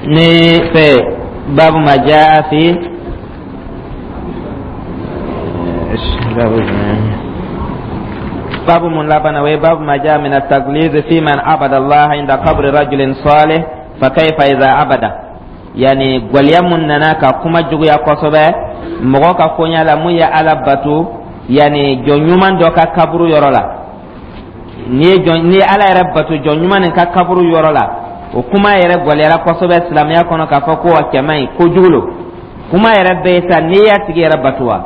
Ni fɛ babu ma jaa fi babu mun laban, o ye babu ma jaa min at-tagliz fi man abada Allah inda qabri rajulin salih fa kayfa idha abada. Yani gwaliya mun nana ka kuma juguya kosɛbɛ mɔgɔ ka koɲa la mun ye Ala bato, yani jɔn ɲuman dɔ ka kaburu yɔrɔ la. N'i ye jɔn, n'i ye Ala yɛrɛ bato jɔn ɲuman nin ka kaburu yɔrɔ la, o kuma yɛrɛ gwaliyara kosɛbɛ silamɛya kɔnɔ k'a fɔ ko a cɛ man ɲi, kojugu lo. Kuma yɛrɛ bɛ yen sa, n'i y'a tigi yɛrɛ bato wa,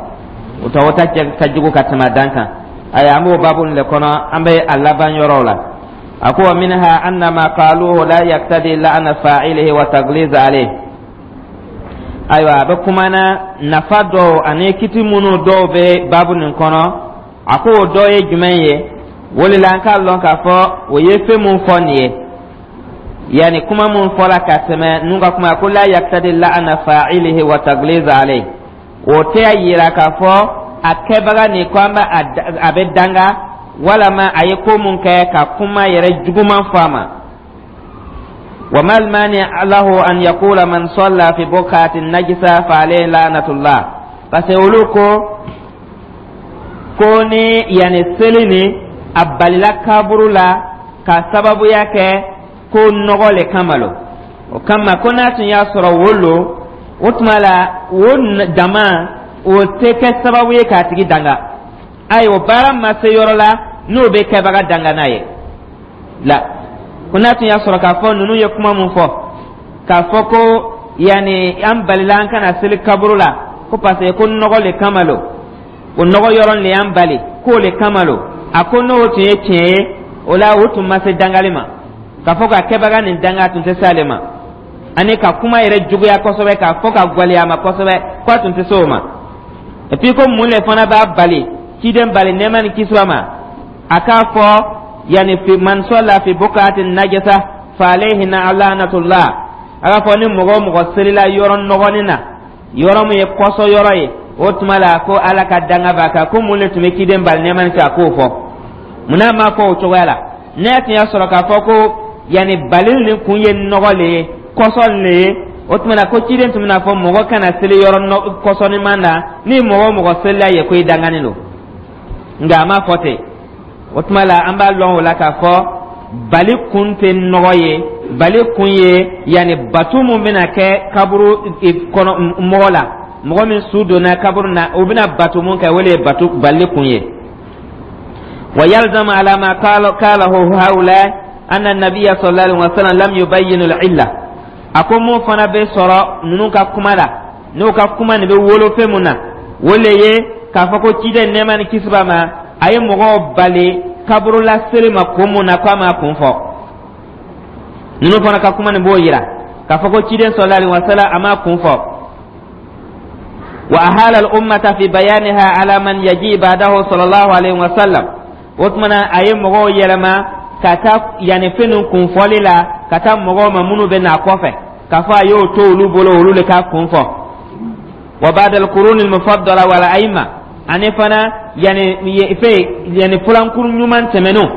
o ta o ta cɛ ka jugu ka tɛmɛ a dan kan. Ayi, an b'o baabu nin de kɔnɔ, an bɛ a laban yɔrɔw la. A ko wa minha anna ma qaluhu la yaqtadi la'na fa'ilihi wa tagliz alayhi. Ayiwa, a bɛ kuma na nafa dɔw ani kiti minnu dɔw bɛ baabu nin kɔnɔ. A ko o dɔ ye jumɛn ye? O de la an k'a lɔn k'a fɔ o ye fɛn mun fɔ nin ye, yani kuma mun fɔla ka tɛmɛ ninnu ka kuma ko la yaqtadi la'na fa'ilihi wa tagliz alayhi, o tɛ a yira k'a fɔ a kɛbaga nin ko an bɛ a bɛ danga walama a ye ko mun kɛ ka kuma yɛrɛ juguman fɔ a ma. Wa mal mani lahu an yaqula man salla fi buqatin najisa fa alayhi la'natullah, parce que olu ko ko ni yani seli ni a balila kaburu la ka sababuya kɛ ko nɔgɔ le kama lo, o kama ko n'a tun y'a sɔrɔ wo lo, o tuma la o dama o tɛ kɛ sababu ye k'a tigi danga. Ayi, o baara ma se yɔrɔ la n'o bɛ kɛbaga danga n'a ye la. Ko n'a tun y'a sɔrɔ k'a fɔ ninnu ye kuma mun fɔ k'a fɔ ko yanni an balila an kana seli kaburu la ko parce que ko nɔgɔ le kama lo, o nɔgɔ yɔrɔ le y'an bali k'o le kama lo, a ko n'o tun ye tiɲɛ ye, o la o tun ma se dangali ma, k'a fɔ ka kɛbaga nin danga tun tɛ se ale ma, ani ka kuma yɛrɛ juguya kosɛbɛ k'a fɔ ka gwaleya ma kosɛbɛ, k'a tun tɛ se o ma. Et puis ko mun le fana b'a bali, ciden bali nɛɛma ni kisi ma, a k'a fɔ yani fi man salla fi buqatin najasa fa alayhi la'natullah, a k'a fɔ ni mɔgɔ o mɔgɔ selila yɔrɔ nɔgɔnin na, yɔrɔ min ye kɔsɔ yɔrɔ ye, o tuma la ko Ala ka danga b'a kan, ko mun le tun bɛ ciden bali nɛɛma ni kisi a k'o fɔ? Munna a m'a fɔ o cogoya la? N'a tun y'a sɔrɔ k'a fɔ ko yanni balili nin kun ye nɔgɔ le ye, kɔsɔ le ye, o tuma na ko ciden tun bɛna fɔ mɔgɔ kana seli yɔrɔ kɔsɔniman na, ni mɔgɔ o mɔgɔ selila ye ko i danganen don. Nka a m'a fɔ ten. O tuma la an b'a lɔn o la k'a fɔ bali kun tɛ nɔgɔ ye, bali kun ye yanni bato mun bɛna kɛ kaburu kɔnɔ mɔgɔ la, mɔgɔ min su donna kaburu na, o bɛna bato mun kɛ, o de ye bato bali kun ye. Wa yalzamu ala ma qalahu haula anna nabiyya sallallahu alaihi wasallam lam yubayyin al-illa. A ko mun fana bɛ sɔrɔ ninnu ka kuma la, n'o ka kuma nin bɛ wolo fɛn mun na, o le ye k'a fɔ ko ciden nɛɛma ni kisi b'a ma, a ye mɔgɔw bali kaburula seli ma kun mun na, k'a m'a kun fɔ. Ninnu fana ka kuma nin b'o yira k'a fɔ ko ciden sallallahu alaihi wasallam a m'a kun fɔ. Wa ahala al-ummata fi bayaniha ala man yaji ba'dahu sallallahu alaihi wasallam. O tuma na a ye mɔgɔw yɛlɛma ka taa yanni fɛn ninnu kun fɔli la ka taa mɔgɔw ma minnu bɛ n'a kɔfɛ, k'a fɔ a y'o to olu bolo, olu de k'a kun fɔ. Wa ba'da al-qurun al-mufaddala wal a'imma, ani fana yanni fɛn yanni fulankuru ɲuman tɛmɛnenw,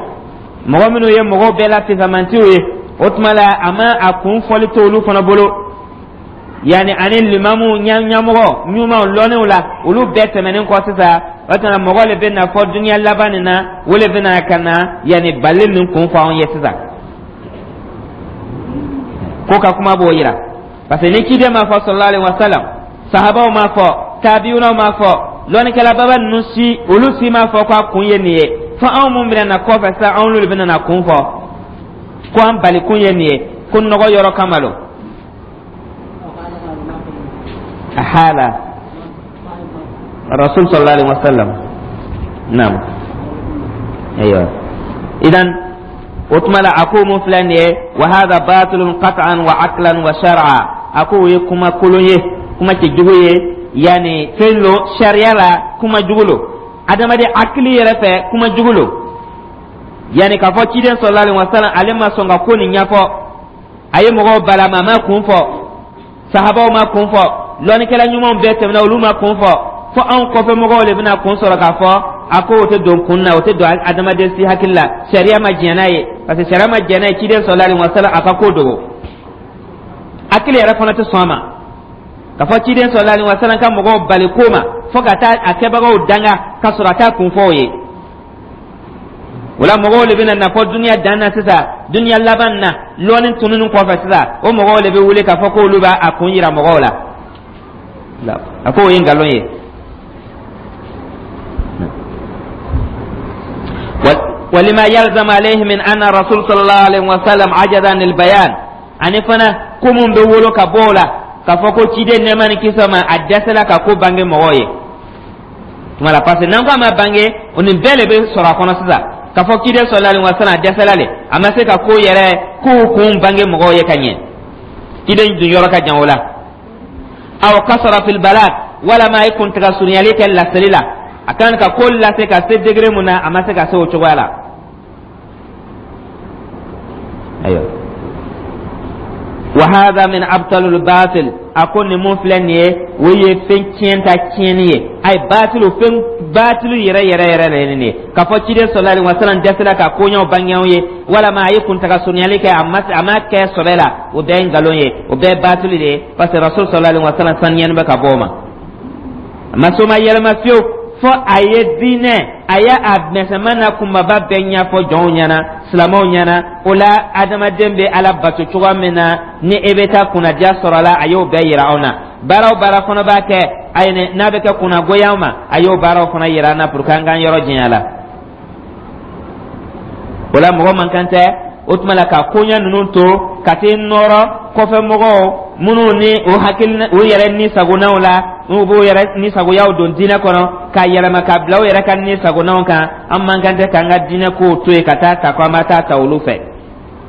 mɔgɔ minnu ye mɔgɔw bɛɛ la fisamantiw ye, o tuma la a ma a kun fɔli to olu fana bolo, yanni ani limamu ɲɛmɔgɔ ɲumanw lɔnniw la, olu bɛɛ tɛmɛnen kɔ sisan, o tuma mɔgɔ le bɛ na fɔ dunuya laban nin na, o le bɛ na ka na yanni bali nin kun fɔ anw ye sisan. Ko ka kuma b'o yira, parce que ni ciden ma fɔ sallallahu alaihi wa sallam, sahabaw ma fɔ, tabiunaw ma fɔ, lɔnnikɛlababa ninnu si, olu si ma fɔ k'a kun ye nin ye, fo anw mun bɛna na kɔfɛ sisan, anw n'olu bɛna na kun fɔ ko an bali kun ye nin ye, ko nɔgɔ yɔrɔ kama lo. Ahala rasul sallallahu alaihi wasallam naam. Ayiwa, idan o tuma la a ko mun filɛ nin ye, wa hadha batilun qat'an wa aqlan wa shar'a, a ko o ye kuma kolon ye, kuma cɛjugu ye, yanni fɛn lo sariya la, kuma jugu lo, adamaden hakili yɛrɛ fɛ kuma jugu lo, yanni k'a fɔ ciden sallallahu alaihi wasallam ale ma sɔn ka ko nin ɲɛfɔ, a ye mɔgɔw balama, a ma kun fɔ, sahabaw ma kun fɔ, lɔnnikɛla ɲumanw bɛɛ tɛmɛna, olu ma kun fɔ, fo anw kɔfɛ mɔgɔw de bɛna kun sɔrɔ k'a fɔ. A ko o tɛ don kun na, o tɛ don adamaden si hakili la, sariya ma diɲɛ n'a ye, parce que sariya ma diɲɛ n'a ye ciden sallallahu alaihi wasallam a ka ko dogo. Hakili yɛrɛ fana tɛ sɔn a ma k'a fɔ ciden sallallahu alaihi wasallam ka mɔgɔw bali ko ma fo ka taa a kɛbagaw danga ka sɔrɔ a t'a kun fɔ o ye. O la, mɔgɔw de bɛna na fɔ duniya dan na sisan, duniya laban na, lɔɔni tununi kɔfɛ sisan, o mɔgɔw de bɛ wuli k'a fɔ k'olu b'a a kun yira mɔgɔw la. A ko o ye nkalon ye. ولما يلزم عليه من أن الرسول صلى الله عليه وسلم عجز عن البيان. Ani fana, ko mun bɛ wolo ka bɔ o la k'a fɔ ko ciden, nɛɛma ni kisi ma, a dɛsɛla ka ko bange mɔgɔw ye tuma la, parce que n'an ko a ma bange, o nin bɛɛ de bɛ sɔrɔ a kɔnɔ sisan, k'a fɔ ciden sallallahu alaihi wasallam a dɛsɛla le, a ma se ka ko yɛrɛ kow kun bange mɔgɔw ye ka ɲɛ. Ciden dun yɔrɔ ka jan o la. Aw kasara fil balagh, walama a ye kuntaga surunyali kɛ laseli la. A kan ka ko lase ka se degré mun na, a ma se ka se o cogoya la. Ayiwa, wa hadha min abtalul batil. A ko nin mun filɛ nin ye, o ye fɛn tiɲɛ ta tiɲɛni ye. Ayi, batilu, fɛn batilu yɛrɛ yɛrɛ yɛrɛ de ye nin ye, k'a fɔ ciden sallallahu alaihi wasallam dɛsɛla ka koɲɛw bange anw ye, walama a ye kuntaga surunyali kɛ, a ma kɛ sɔbɛ la, o bɛɛ ye nkalon ye, o bɛɛ ye batili de ye, parce que rasul sallallahu alaihi wasallam saniyani bɛ ka bɔ o ma. A ma so ma yɛlɛma fiyewu fo a ye diinɛ, a ye a misɛnman n'a kunbaba bɛɛ ɲɛfɔ jɔnw ɲɛna, silamɛw ɲɛna. O la, adamaden bɛ Ala bato cogoya min na ni e bɛ taa kunnadiya sɔrɔ a la, a y'o bɛɛ yira anw na. Baara o baara fana b'a kɛ, a ye n'a bɛ kɛ kunnagoya ma, a y'o baaraw fana yira an na pour que an k'an yɔrɔ janya la o la. Mɔgɔ man kan tɛ o tuma la ka koɲɛ ninnu to ka t'i nɔrɔ kɔfɛ mɔgɔw minnu ni o hakili u yɛrɛ ni sagonaw la, n'u b'u yɛrɛ ni sagoyaw don diinɛ kɔnɔ k'a yɛlɛma ka bila u yɛrɛ ka ni sagonaw kan. An man kan tɛ k'an ka diinɛ kow to yen ka taa ta ko an b'a taa ta olu fɛ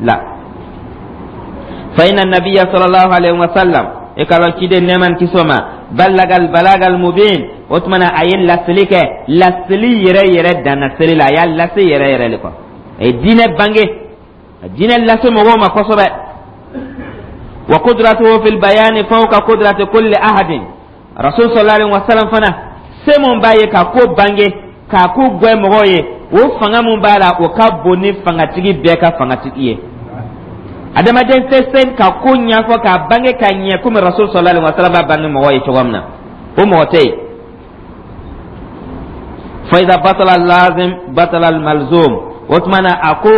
la. Fa inna nabiyya sallallahu alaihi wa sallam, i ka lɔn ciden, nɛɛma ni kisi ma, ballagal balagal mubin. O tuma na, a ye laseli kɛ, laseli yɛrɛ yɛrɛ danna seli la, a y'a lase yɛrɛ yɛrɛ de kɔ, a ye diinɛ bange, a diinɛ lase mɔgɔw ma kosɛbɛ. Wa qudratuhu fil bayani fawqa qudrati kulli ahadin. Rasul sallallahu alaihi wasallam fana, se mun b'a ye ka ko bange, k'a ko gwɛ mɔgɔw ye, o fanga mun b'a la, o ka bon ni fangatigi bɛɛ ka fangatigi ye. Adamaden tɛ se ka ko ɲɛfɔ k'a bange ka ɲɛ komi rasul sallallahu alaihi wasallam b'a bange mɔgɔw ye cogo min na, o mɔgɔ tɛ yen. Fa iza batala lazim batala malzum. O tuma na, a ko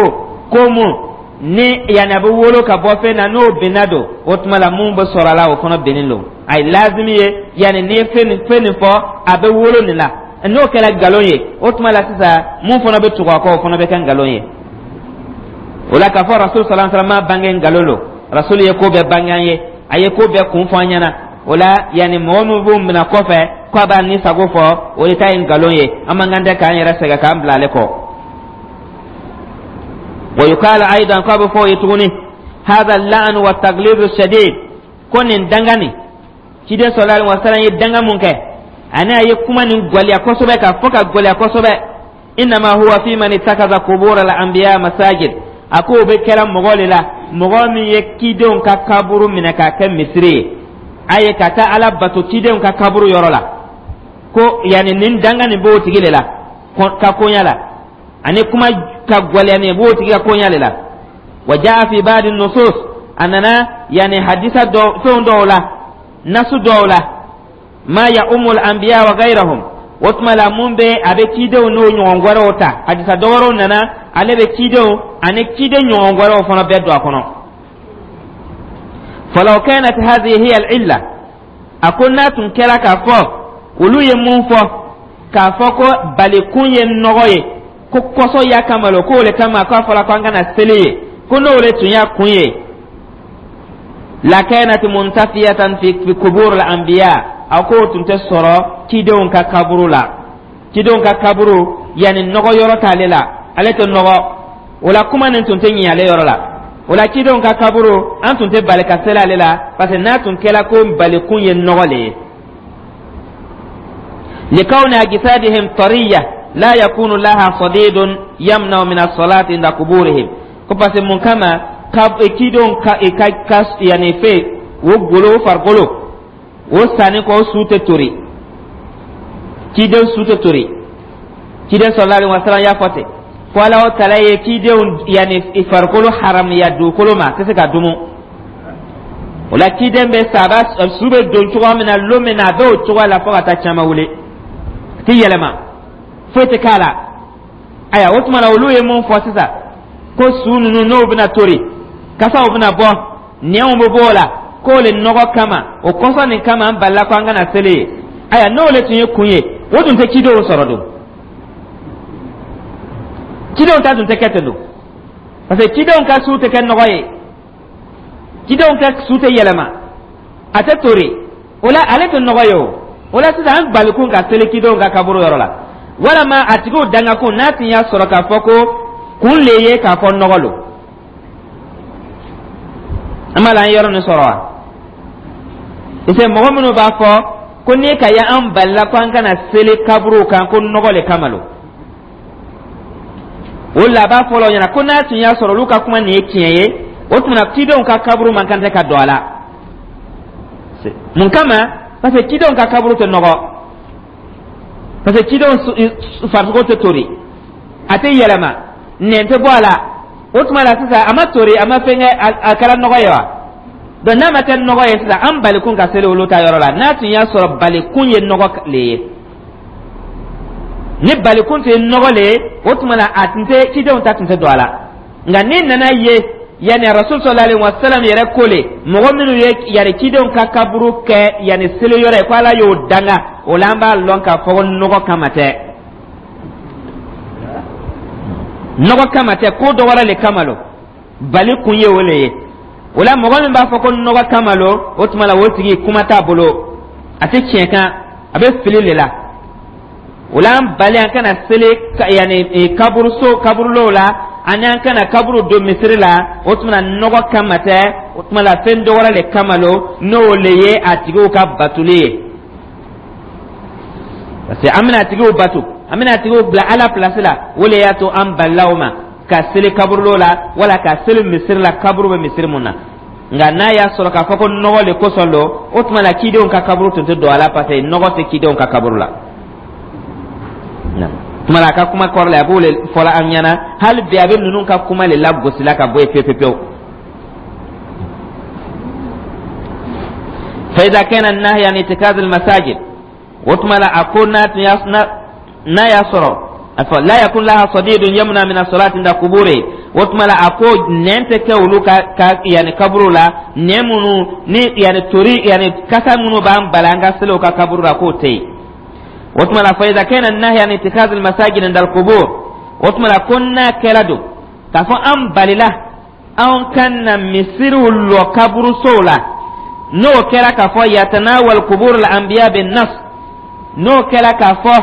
ko mun ni yanni a bɛ wolo ka bɔ fɛn na, n'o binna don, o tuma la mun bɛ sɔrɔ a la, o fana binnen don. A ye lazimi ye, yanni n'i ye fɛn nin fɔ, a bɛ wolo nin la, n'o kɛra nkalon ye, o tuma la sisan mun fana bɛ tugu a kɔ, o fana bɛ kɛ nkalon ye. O la, k'a fɔ rasul sallallahu alaihi wasallam ma bange, nkalon don. Rasul ye ko bɛɛ bange an ye, a ye ko bɛɛ kun fɔ an ɲɛna. O la, yanni mɔgɔ min b'o minɛ kɔfɛ k'a b'a ni sago fɔ, o de ta ye nkalon ye. An man kan tɛ k'an yɛrɛ sɛgɛn k'an bila ale kɔ. Wa yuqalu aidan, k'a bɛ fɔ o ye tuguni, hadha al-la'n wa taglib shadid, ko nin danga nin, ciden sallallahu alaihi wasallam ye danga mun kɛ, ani a ye kuma nin gwaliya kosɛbɛ, ka fɔ ka gwaliya kosɛbɛ, innama huwa fi man ittakaza qubur al-anbiya masajid. A ko o bɛ kɛra mɔgɔ de la, mɔgɔ min ye cidenw ka kaburu minɛ k'a kɛ misiri ye, a ye ka taa Ala bato cidenw ka kaburu yɔrɔ la, ko yanni nin danga nin b'o tigi de la ka koɲa la, ani kuma ka gwɛlɛya nin b'o tigi ka koɲa de la. Wa jaa fi ba'di nusus, a nana yanni hadisa dɔ fɛn dɔw la, nasu dɔw la, ma ya umul anbiya wa ghayrahum. O tuma la, mun bɛ a bɛ cidenw n'o ɲɔgɔn wɛrɛw ta, hadisa dɔ wɛrɛw nana, ale bɛ cidenw ani ciden ɲɔgɔn wɛrɛw fana bɛɛ don a kɔnɔ. Falaw kanat hadhihi hiya al-illa, a ko n'a tun kɛra k'a fɔ olu ye mun fɔ, k'a fɔ ko balikun ye nɔgɔ ye, ko kɔsɔ y'a kama lo, k'o le kama k'a fɔra ko an kana seli ye, ko n'o le tun y'a kun ye, lakanat muntafiyatan fi kubur al-anbiya, a k'o tun tɛ sɔrɔ cidenw ka kaburu la. Cidenw ka kaburu, yanni nɔgɔ yɔrɔ t'ale la, ale tɛ nɔgɔ o la, kuma nin tun tɛ ɲɛ ale yɔrɔ la. O la, cidenw ka kaburu, an tun tɛ bali ka seli ale la, parce que n'a tun kɛra ko balikun ye nɔgɔ le ye, likawni ajsadihim tariya la yakunu laha sadidun yamna'u min as-salati inda kuburihim. Ko parce que mun kama ka cidenw ka yanni fɛ o golo, o farikolo o sanni kɔ, o su tɛ tori, ciden su tɛ tori. Ciden sallallahu alaihi wasallam y'a fɔ ten ko Ala o tala ye cidenw yanni farikolo haramuya dugukolo ma, a tɛ se ka dumu. O la, ciden bɛ sa, a b'a su bɛ don cogoya min na lon min na, a bɛ o cogoya la fo ka taa caman wuli, a tɛ yɛlɛma, foyi tɛ k'a la. Ayiwa, o tuma na, olu ye mun fɔ sisan? Ko su ninnu, n'o bɛna tori, kasaw bɛna bɔ, nɛnw bɛ bɔ o la, k'o le nɔgɔ kama, o kɔsɔn nin kama, an balila ko an kana seli ye. Ayiwa, n'o le tun ye kun ye, o dun tɛ cidenw sɔrɔ dun. Cidenw ta dun tɛ kɛ ten dun, parce que cidenw ka su tɛ kɛ nɔgɔ ye, cidenw ka su tɛ yɛlɛma, a tɛ tori. O la, ale tɛ nɔgɔ ye. O la sisan, an balikun ka seli cidenw ka kaburu yɔrɔ la, walama a tigiw dangakun, n'a tun y'a sɔrɔ k'a fɔ ko kun le ye k'a fɔ nɔgɔ lo, an b'a la an yɔrɔ nin sɔrɔ wa? Parce que mɔgɔ minnu b'a fɔ ko n'i ka ye an balila ko an kana seli kaburuw kan, ko nɔgɔ le kama lo, o la a b'a fɔ la o ɲɛna ko n'a tun y'a sɔrɔ olu ka kuma nin ye tiɲɛ ye, o tuma na cidenw ka kaburu man kan tɛ ka don a la. Mun kama? Parce que cidenw ka kaburu tɛ nɔgɔ, parce que cidenw farisogo tɛ tori, a tɛ yɛlɛma, nɛn tɛ bɔ a la. O tuma la sisan, a ma tori, a ma fɛn kɛ, a kɛra nɔgɔ ye wa? Donc n'a ma kɛ nɔgɔ ye sisan, an balikun ka seli olu ta yɔrɔ la, n'a tun y'a sɔrɔ balikun ye nɔgɔ le ye. Ni balikun tun ye nɔgɔ le ye, o tuma na a tun tɛ, cidenw ta tun tɛ don a la. Nka n'i nana ye, yanni Rasul sallallahu alaihi wasallam yɛrɛ ko le, mɔgɔ minnu ye yanni cidenw ka kaburu kɛ yanni seli yɔrɔ ye, ko Ala y'o danga, o la an b'a lɔn k'a fɔ ko nɔgɔ kama tɛ, nɔgɔ kama tɛ, ko dɔ wɛrɛ le kama lo, bali kun ye o le ye. O la, mɔgɔ min b'a fɔ ko nɔgɔ kama lo, o tuma la o tigi kuma t'a bolo, a tɛ tiɲɛ kan, a bɛ fili le la. O la, an bali an kana seli yanni kaburuso kaburulow la, ani an kana kaburu don misiri la, o tuma na nɔgɔ kama tɛ. O tuma la, fɛn dɔ wɛrɛ le kama lo, n'o le ye a tigiw ka batoli ye, parce que an bɛna a tigiw bato, an bɛna a tigiw bila Ala place la. O le y'a to an balila o ma ka seli kaburulo la, wala ka seli misiri la, kaburu bɛ misiri mun na. Nka n'a y'a sɔrɔ k'a fɔ ko nɔgɔ le kosɔn don, o tuma la cidenw ka kaburu tun tɛ don a la, parce que nɔgɔ tɛ cidenw ka kaburu la. Tuma la, a ka kuma kɔrɔ la, a b'o le fɔla an ɲɛna. Hali bi, a bɛ ninnu ka kuma le lagosi la ka bɔ yen pewu pewu. فإذا كان النهي عن اتخاذ المساجد, o tuma la, a ko n'a tun y'a n'a y'a sɔrɔ a fɔ la yakun laha sadidun yamna min as-salati inda kuburi, o tuma la, a ko nɛn tɛ kɛ olu ka yanni kaburu la, nɛn minnu ni yanni tori, yanni kasa minnu b'an bali an ka seli u ka kaburu la, k'o tɛ yen. O tuma la, fa idha kana an-nahyu an ittikhadh al-masajid inda al-qubur, o tuma la, ko n'a kɛra don k'a fɔ an balila an ka na misiriw lɔ kaburusow la, n'o kɛra k'a fɔ yatanawal qubur al-anbiya bin nas, n'o kɛra k'a fɔ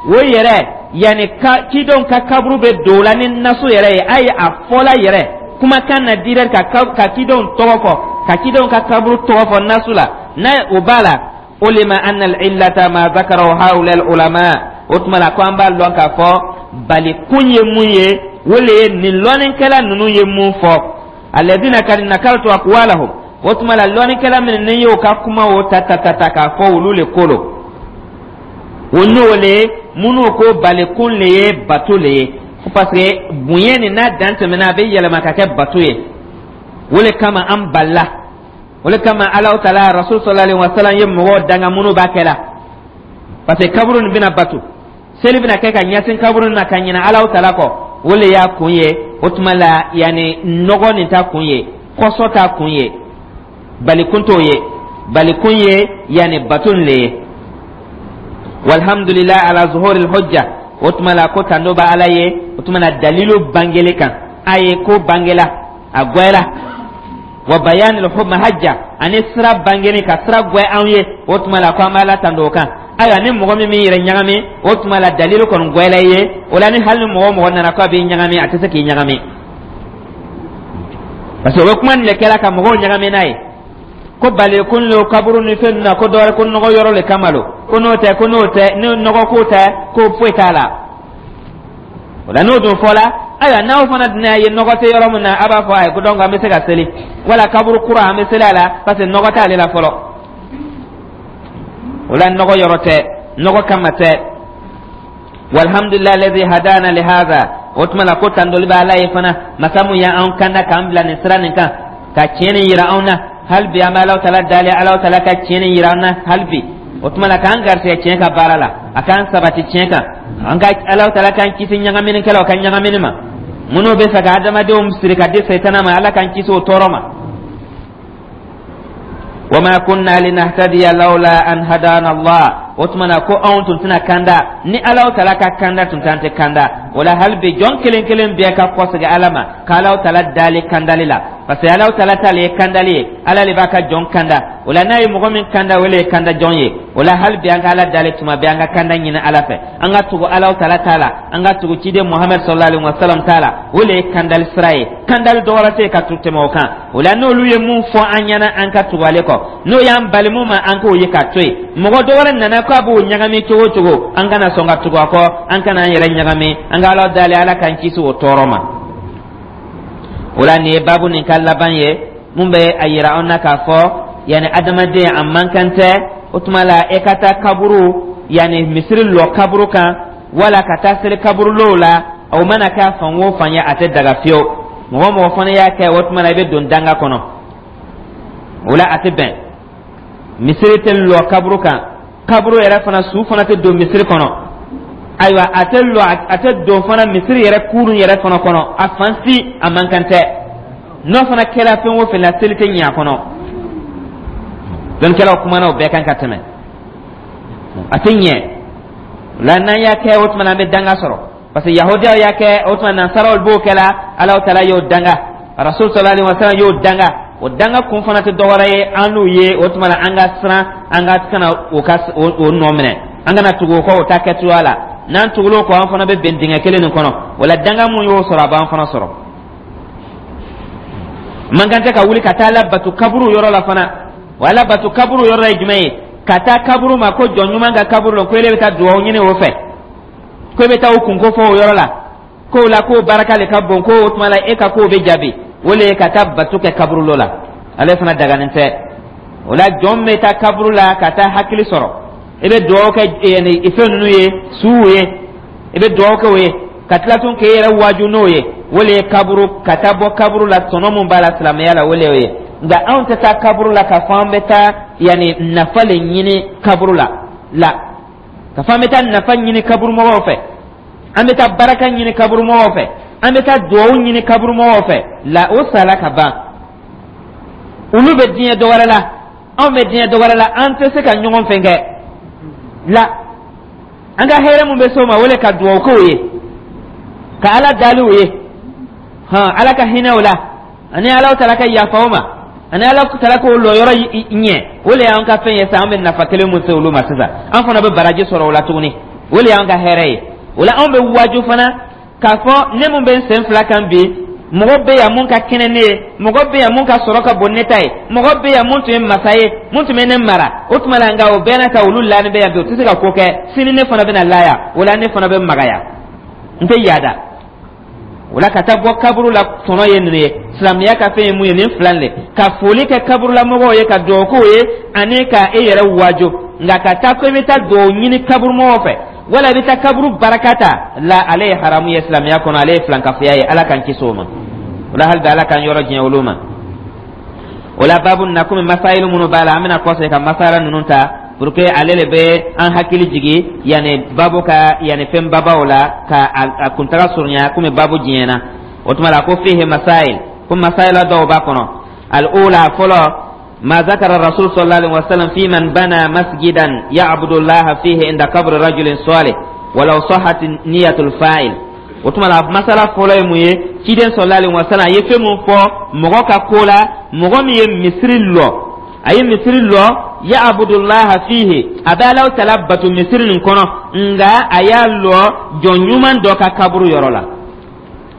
o yɛrɛ yanni ka cidenw ka kaburu bɛ don o la ni nasu yɛrɛ ye, ayi, a fɔla yɛrɛ kumakan na direct ka cidenw tɔgɔ fɔ, ka cidenw ka kaburu tɔgɔ fɔ nasu la, n'a o b'a la, ulima anna al-illata ma zakarahu haula al-ulama, o tuma la, ko an b'a lɔn k'a fɔ bali kun ye mun ye, o le ye nin lɔnnikɛla ninnu ye mun fɔ, alladhina kad nakaltu aqwalahum. O tuma la, lɔnnikɛla minnu ni y'o ka kuma o ta ta ta ta k'a fɔ, olu le ko lo o, n'o le ye minnu ko balikun le ye bato le ye, parce que bonya nin n'a dan tɛmɛna, a bɛ yɛlɛma ka kɛ bato ye. O le kama an balila, o le kama Alahu taala, Rasul sallallahu alaihi wa sallam ye mɔgɔw danga minnu b'a kɛ la, parce que kaburu nin bɛna bato, seli bɛna kɛ ka ɲɛsin kaburu nin ma ka ɲinɛ Alahu taala kɔ. O le y'a kun ye. O tuma la, yanni nɔgɔ nin ta kun ye, kɔsɔ t'a kun ye, balikun t'o ye, balikun ye yanni bato nin le ye. Walhamdulilayi ala zuhuril hujja. O tuma la, ko tando bɛ Ala ye, o tuma la dalilu bangeli kan a ye, ko bangela, a gwɛla, wa bayanil mahajja, ani sira bangeni ka sira gwɛ anw ye. O tuma la, ko an b'Ala tando o kan. Ayiwa, ni mɔgɔ min m'i yɛrɛ ɲagami, o tuma la dalilu kɔni gwɛla i ye. O la, ni hali ni mɔgɔ o mɔgɔ nana ko a b'i ɲagami, a tɛ se k'i ɲagami, parce que o bɛ kuma nin de kɛla ka mɔgɔw ɲagami n'a ye, ko balikun lo kaburu ni fɛn na, ko dɔwɛrɛ, ko nɔgɔ yɔrɔ le kama lo, ko n'o tɛ, ko n'o tɛ, ni nɔgɔ ko tɛ, ko foyi t'a la. O la, n'o dun fɔla, ayiwa, n'aw fana dun y'a ye nɔgɔ tɛ yɔrɔ min na, a b'a fɔ ayi, ko donc an bɛ se ka seli, wala kaburu kura an bɛ seli a la, parce que nɔgɔ t'ale la fɔlɔ. O la, nɔgɔ yɔrɔ tɛ, nɔgɔ kama tɛ. Walhamdulilayi alladhi hadana li hadha. O tuma la, ko tandoli bɛ Ala ye fana, masa mun y'an kanda k'an bila nin sira nin kan, ka tiɲɛ nin yira anw na. Hali bi, an bɛ Alahu Taala dali, Alahu Taala ka tiɲɛ nin yira an na hali bi. O tuma la, k'an garisɛgɛ tiɲɛ ka baara la, a k'an sabati tiɲɛ kan. An ka Alahu Taala k'an kisi ɲagaminikɛlaw ka ɲagamini ma, minnu bɛ fɛ ka adamadenw siri ka di Sɛtana ma. Ala k'an kisi o tɔɔrɔ ma. Wama kunna linahtadiya lawla an hadana Allah. O tuma na, ko anw tun tɛna kanda ni Alahu Taala ka kanda tun t'an tɛ kanda. O la, hali bi, jɔn kelen kelen bɛɛ ka kɔsegin Ala ma, ka Alahu Taala dali kandali la, parce que Alahu Taala t'ale ye kandali ye. Ala de b'a ka jɔn kanda. O la, n'a ye mɔgɔ min kanda, o le ye kanda jɔn ye. O la, hali bi, an ka Ala dali tuma bɛɛ, an ka kanda ɲini Ala fɛ, an ka tugu Alahu Taala t'a la, an ka tugu ciden Muhamɛd sallallahu alaihi wa sallam t'a la. O le ye kandali sira ye. Kandali dɔ wɛrɛ tɛ yen ka tɛmɛ o kan. O la, n'olu ye mun fɔ an ɲɛna, an ka tugu ale kɔ. N'o y'an bali mun ma, an k'o ye k'a to yen. Mɔgɔ dɔ wɛrɛ nana k'a b'o ɲagami cogo o cogo, an kana sɔn ka tugu a kɔ, an kana an yɛrɛ ɲagami. An ka Ala dali, Ala k'an kisi o tɔɔrɔ ma. O la, nin ye baabu nin ka laban ye, mun bɛ a yira an na k'a fɔ, yanni adamaden a man kan tɛ, o tuma la, e ka taa kaburu, yanni misiri lɔ kaburu kan, wala ka taa seli kaburulow la. O mana kɛ fan o fan ye, a tɛ daga fiyewu. Mɔgɔ mɔgɔ fana y'a kɛ, o tuma la, i bɛ don danga kɔnɔ. O la, a tɛ bɛn. Misiri tɛ lɔ kaburu kan, kaburu yɛrɛ fana, su fana tɛ don misiri kɔnɔ. Ayiwa, a tɛ lɔ, a tɛ don fana misiri yɛrɛ kurun yɛrɛ fana kɔnɔ. A fan si, a man kan tɛ. N'o fana kɛra fɛn o fɛn la, seli tɛ ɲɛ a kɔnɔ. Dɔnnikɛlaw kumana o bɛɛ kan ka tɛmɛ. A tɛ ɲɛ la. N'an y'a kɛ, o tuma na, an bɛ danga sɔrɔ, parce que Yahudiyaw y'a kɛ. O tuma, Nansaraw b'o kɛ la. Alahu Taala y'o danga, Rasul sallallahu alaihi wa sallam y'o danga. O danga kun fana tɛ dɔwɛrɛ ye an n'u ye. O tuma na, an ka siran, an ka kana o ka o nɔ minɛ, an kana tugu o kɔ o ta kɛcogoya la. N'an tugul'o kɔ, an fana bɛ bɛn dingɛ kelen nin kɔnɔ. O la, danga mun y'o sɔrɔ, a b'an fana sɔrɔ. Man kan tɛ ka wuli ka taa labato kaburu yɔrɔ la fana. O alabato kaburu yɔrɔ la ye jumɛn ye? Ka taa kaburu ma ko jɔn ɲuman ka kaburu la, ko ele bɛ taa dugawu ɲini o fɛ, ko e bɛ taa o kunko fɔ o yɔrɔ la, k'o la k'o barika le ka bon, ko o tuma la e ka kow bɛ jaabi. O le ye ka taa bato kɛ kaburulo la. Ale fana daganen tɛ. O la, jɔn bɛ taa kaburu la ka taa hakili sɔrɔ, i bɛ dugawu kɛ fɛn ninnu ye, suw ye, i bɛ dugawu kɛ o ye, ka tila tun k'e yɛrɛ waaju n'o ye. O le ye kaburu, ka taa bɔ kaburu la, tɔnɔ mun b'a la silamɛya la, o le y'o ye. Nka anw tɛ taa kaburu la k'a fɔ an bɛ taa yanni nafa le ɲini kaburu la la, ka fɔ an bɛ taa nafa ɲini kaburumɔgɔw fɛ, an bɛ taa baraka ɲini kaburumɔgɔw fɛ, an bɛ taa duwawu ɲini kaburumɔgɔw fɛ la. O sala ka ban, olu bɛ diɲɛ dɔ wɛrɛ la, anw bɛ diɲɛ dɔ wɛrɛ la, an tɛ se ka ɲɔgɔn fɛn kɛ la. An ka hɛrɛ mun bɛ s'o ma, o le ka duwawu k'o ye, ka Ala dali o ye, hɔn, Ala ka hinɛ o la, ani Ala Taala ka yafa o ma, ani Ala Taala k'o lɔyɔrɔ ɲɛ. O le y'an ka fɛn ye sisan. An bɛ nafa kelen mun se olu ma sisan, an fana bɛ baraji sɔrɔ o la tuguni. O le y'an ka hɛrɛ ye. O la, anw bɛ waaju fana k'a fɔ ne mun bɛ n sen fila kan bi, mɔgɔ bɛ yan mun ka kɛnɛ ne ye, mɔgɔ bɛ yan mun ka sɔrɔ ka bon ne ta ye, mɔgɔ bɛ yan mun tun ye masa ye, mun tun bɛ ne mara. O tuma la, nka o bɛɛ n'a ta, olu laani bɛ yan bi, o tɛ se ka ko kɛ. Sini ne fana bɛna laya, o la ne fana bɛ magaya, n tɛ yaada. O la, ka taa bɔ kaburu la, tɔnɔ ye ninnu ye. Silamɛya ka fɛn ye mun ye? Nin fila de: ka foli kɛ kaburulamɔgɔw ye, ka dugawu k'o ye, ani ka e yɛrɛ wajo. Nka ka taa ko i bɛ taa dugawu ɲini kaburumɔgɔw fɛ, wala i bɛ taa kaburu baraka ta la, ale ye haramu ye silamɛya kɔnɔ, ale ye filankafoya ye. Ala k'an kisi o ma. O la, hali bi, Ala k'an yɔrɔ diɲɛ olu ma. O la, baabu na, komi masayilu minnu b'a la, an bɛna kɔsegin ka masala ninnu ta, pour que ale le bɛ an hakili jigi yanni baabu ka yanni fɛn babaw la, ka a kuntaga surunya, komi baabu diɲɛna. O tuma la, ko fihi masail, ko masayila dɔw b'a kɔnɔ. Al-ula, fɔlɔ: ما ذكر الرسول صلى الله عليه وسلم في من بنى مسجدا يعبد الله فيه عند قبر رجل صالح ولو صحت نية الفاعل. O tuma la, masala fɔlɔ ye mun ye? Ciden sallallahu alaihi wasallam a ye fɛn mun fɔ mɔgɔ ka ko la, mɔgɔ min ye misiri lɔ, a ye misiri lɔ, ya'budullaha fihi, a bɛ Alahu Taala bato misiri nin kɔnɔ, nka a y'a lɔ jɔn ɲuman dɔ ka kaburu yɔrɔ la.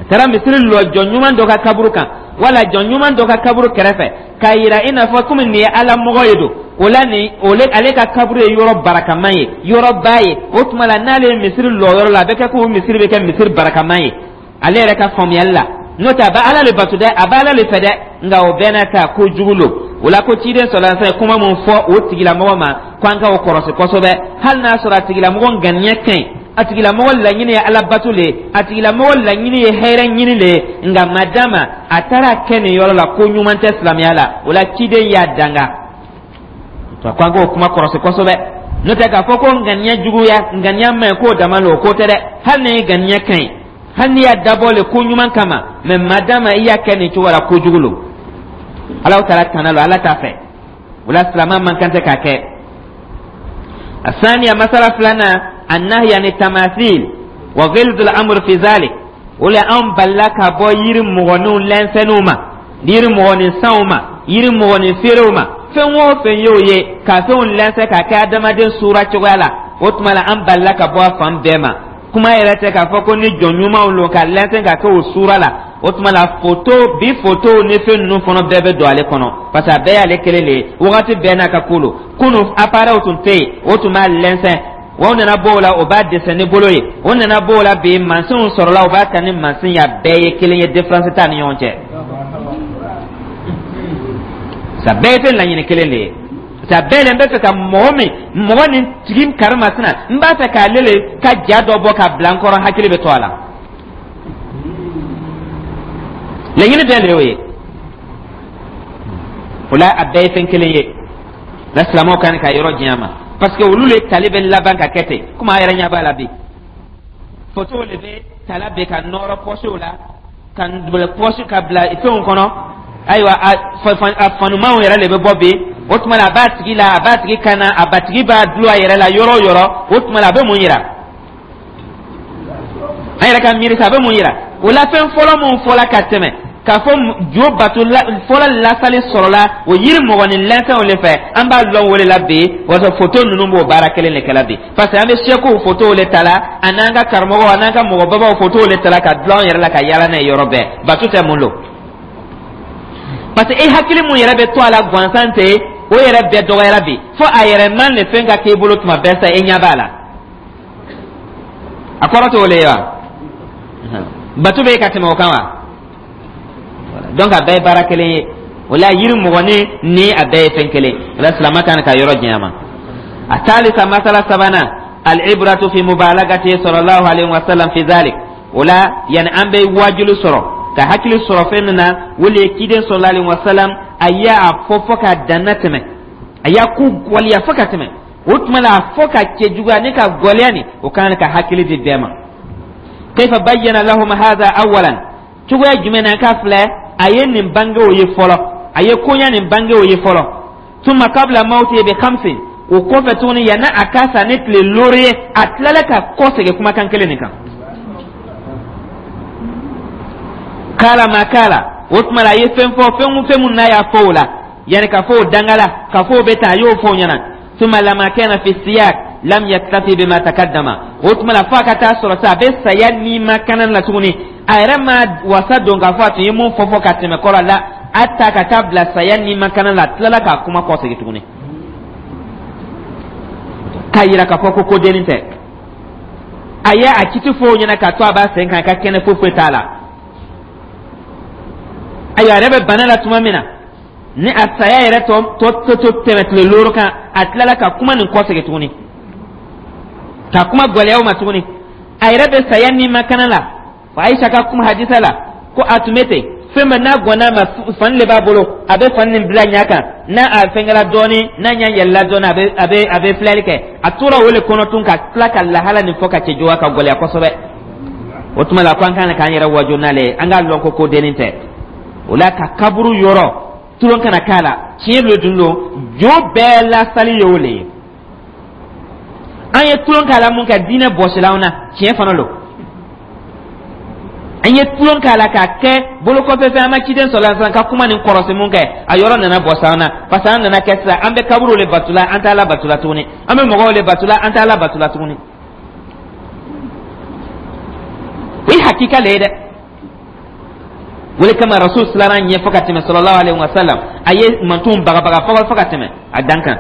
A taara misiri lɔ jɔn ɲuman dɔ ka kaburu kan, wala jɔn ɲuman dɔ ka kaburu kɛrɛfɛ, k'a yira i n'a fɔ komi nin ye Ala mɔgɔ ye don o la, nin ole ale ka kaburu ye yɔrɔ barakaman ye, yɔrɔba ye. O tuma la, n'ale ye misiri lɔ yɔrɔ la, a bɛ kɛ ko misiri bɛ kɛ misiri barakaman ye ale yɛrɛ ka faamuyali la. N'o tɛ, a bɛ Ala le bato dɛ, a bɛ Ala le fɛ dɛ, nka o bɛɛ n'a ta, ko jugu lo. O la, ko ciden sɔrɔ fɛn kuma mun fɔ o tigilamɔgɔ ma, ko an ka o kɔrɔsi kosɛbɛ, hali n'a sɔrɔ a tigilamɔgɔ ŋaniya ka ɲi. A tigilamɔgɔ laɲini ye Ala bato le ye, a tigilamɔgɔ laɲini ye hɛrɛ ɲini le ye. Nka madama a taara kɛ nin yɔrɔ la, ko ɲuman tɛ silamɛya la. O la, ciden y'a danga ko an k'o kuma kɔrɔsi kosɛbɛ. N'o tɛ, k'a fɔ ko ŋaniya juguya, ŋaniya man ɲi, k'o dama lo, o ko tɛ dɛ. Hali ni ŋaniya ka ɲi, hali n'i y'a dabɔ le ko ɲuman kama, mɛ madama i y'a kɛ nin cogo la, kojugu lo. Ala taala tana lo, Ala t'a fɛ. O la, silamɛ man kan tɛ k'a kɛ. الثانية, مسألة فلانة, النهي عن التماثيل وغلظ الأمر في ذلك. O la, an balila ka bɔ yiri mɔgɔninw lɛnsɛnniw ma, yiri mɔgɔnin sanw ma, yiri mɔgɔnin feerew ma. Fɛn o fɛn y'o ye ka fɛnw lɛnsɛn k'a kɛ adamaden sura cogoya la, o tuma la, an balila ka bɔ a fan bɛɛ ma. Kuma yɛrɛ tɛ k'a fɔ ko ni jɔn ɲumanw lo ka lɛnsɛn ka kɛ o sura la. O tuma la, foto bi, fotow ni fɛn ninnu fana bɛɛ bɛ don ale kɔnɔ, parce que a bɛɛ y'ale kelen de ye, wagati bɛɛ n'a ka ko lo. Kunu, appareil tun tɛ yen, o tun b'a lɛnsɛn. O nana bɔ o la, o b'a dessin ni bolo ye. O nana bɔ o la, bi mansinw sɔrɔla, o b'a ta ni mansin ye. A bɛɛ ye kelen ye, différence t'a ni ɲɔgɔn cɛ. Sa bɛɛ ye fɛn laɲini kelen de ye. Sa bɛɛ le n bɛ fɛ ka mɔgɔ min, mɔgɔ nin tigi karimasina, n b'a fɛ k'ale le ka ja dɔ bɔ ka bila n kɔrɔ, hakili bɛ to a la. Laɲini bɛɛ le y'o ye. O la, a bɛɛ ye fɛn kelen ye. La, silamɛw kan ka yɔrɔ janya ma, parce que olu le tali bɛ laban ka kɛ ten. Komi a yɛrɛ ɲɛ b'a la bi, fotow le bɛ tala bɛ ka nɔrɔ pɔsiw la, ka bila pɔsi, ka bila fɛnw kɔnɔ. Ayiwa, a fanumanw yɛrɛ le bɛ bɔ bi. O tuma la, a b'a tigi la, a b'a tigi kan na, a batigi b'a dulon a yɛrɛ la yɔrɔ o yɔrɔ. O tuma la, a bɛ mun yira? An yɛrɛ ka miiri sa, a bɛ mun yira? O la, fɛn fɔlɔ mun fɔla ka tɛmɛ, k'a fɔ jo bato fɔlɔ lasali sɔrɔla o yiri mɔgɔnin lɛnfɛnw de fɛ, an b'a lɔn o de la bi. Walasa foto ninnu b'o baara kelen de kɛla bi, parce que an bɛ sɛkuw fotow de ta la, a n'an ka karamɔgɔw, a n'an ka mɔgɔbabaw fotow de ta la ka dulon an yɛrɛ la, ka yaala n'a ye yɔrɔ bɛɛ. Bato tɛ mun don? Parce que e hakili mun yɛrɛ bɛ to a la gansan tɛ, o yɛrɛ bɛɛ dɔgɔyara bi, fo a yɛrɛ man le fɛn ka k'e bolo tuma bɛɛ sa, e ɲɛ b'a la. A kɔrɔ t'o le ye wa? Bato bɛ ka tɛmɛ o kan wa? Donc a bɛɛ ye baara kelen ye. O la, yiri mɔgɔnin ni a bɛɛ ye fɛn kelen. O la, silamɛ kan ka yɔrɔ janya ma. الثالثة, masala sabanan, العبرة في مبالغته صلى الله عليه وسلم في ذلك. O la, yani an bɛ wajulu sɔrɔ ka hakili sɔrɔ fɛn min na, o le ye ciden صلى الله عليه وسلم, a y'a fɔ fɔ ka danna tɛmɛ, a y'a ko gwɛlɛya fɔ ka tɛmɛ. O tuma la, a fɔ ka cɛjuguya ni ka gwɛlɛya nin, o kan ka hakili di bɛɛ ma. كيف بين لهم هذا أولا؟ Cogoya jumɛn na ka filɛ a ye nin bange o ye fɔlɔ, a ye koɲa nin bange o ye fɔlɔ? ثم قبل موته بخمس, o kɔfɛ tuguni, yanni a ka sa ni tile 5 ye, a tilala ka kɔ segin kumakan kelen nin kan. قال ما قال, o tuma la, a ye fɛn fɔ, fɛn o fɛn mun n'a y'a fɔ o la, yanni ka fɔ o dangala, ka fɔ o bɛ tan, a y'o fɔ o ɲɛna. ثم لما كان في السياق لم يكتف بما تقدم. O tuma la, fo a ka taa sɔrɔ sa, a bɛ saya ni ma kana la tuguni, a yɛrɛ ma wasa don k'a fɔ a tun ye mun fɔ ka tɛmɛ kɔrɔ la, a ta ka taa bila saya ni ma kana la, a tilala k'a kuma kɔsegin tuguni k'a yira k'a fɔ ko ko dennin tɛ. A ye a kiti fɔ o ɲɛna k'a to a b'a sen kan, a ka kɛnɛ, foyi foyi t'a la. Ayiwa, a yɛrɛ bɛ bana la tuma min na, ni a saya yɛrɛ tɔ tɔ to tɛmɛ tile 5 kan, a tilala ka kuma nin kɔsegin tuguni, ka kuma gɛlɛya o ma tuguni. A yɛrɛ bɛ saya ni ma kana la. Ayisa ka kuma hadisa la ko a tun bɛ ten, fɛn bɛɛ n'a gɔnna ma, fani de b'a bolo, a bɛ fani nin bila ɲɛ kan. N'a a fɛnkɛla dɔɔni, n'a ɲɛ yɛlɛla dɔɔni, a bɛ filɛli kɛ. A tora o de kɔnɔ tun, ka tila ka lahala nin fɔ ka cɛjuguya, ka gɛlɛya kosɛbɛ. O tuma la, ko an kan k'an yɛrɛ waju n'ale ye, an k'a lɔn ko ko dennin tɛ. O la, ka kaburu yɔrɔ tulon kana k'a la. Tiɲɛ lo dun don, jo bɛɛ lasali ye o le ye. An ye tulon k'a la mun kɛ, diinɛ bɔsila an na. Tiɲɛ fana lo, an ye tulon k'a la k'a kɛ bolokɔfɛ fɛn. An ma ciden sɔrɔ sisan ka kuma nin kɔrɔsi mun kɛ, a yɔrɔ nana bɔsi an na, parce que an nana kɛ sisan, an bɛ kaburu le batula, an t'a la batula tuguni. An bɛ mɔgɔw le batula, an t'a la batula tuguni. O ye hakika le ye dɛ. O de kama Rasul siranna ɲɛ fɔ ka tɛmɛ, صلى الله عليه وسلم. A ye mantonw bagabaga fɔ ka tɛmɛ a dan kan.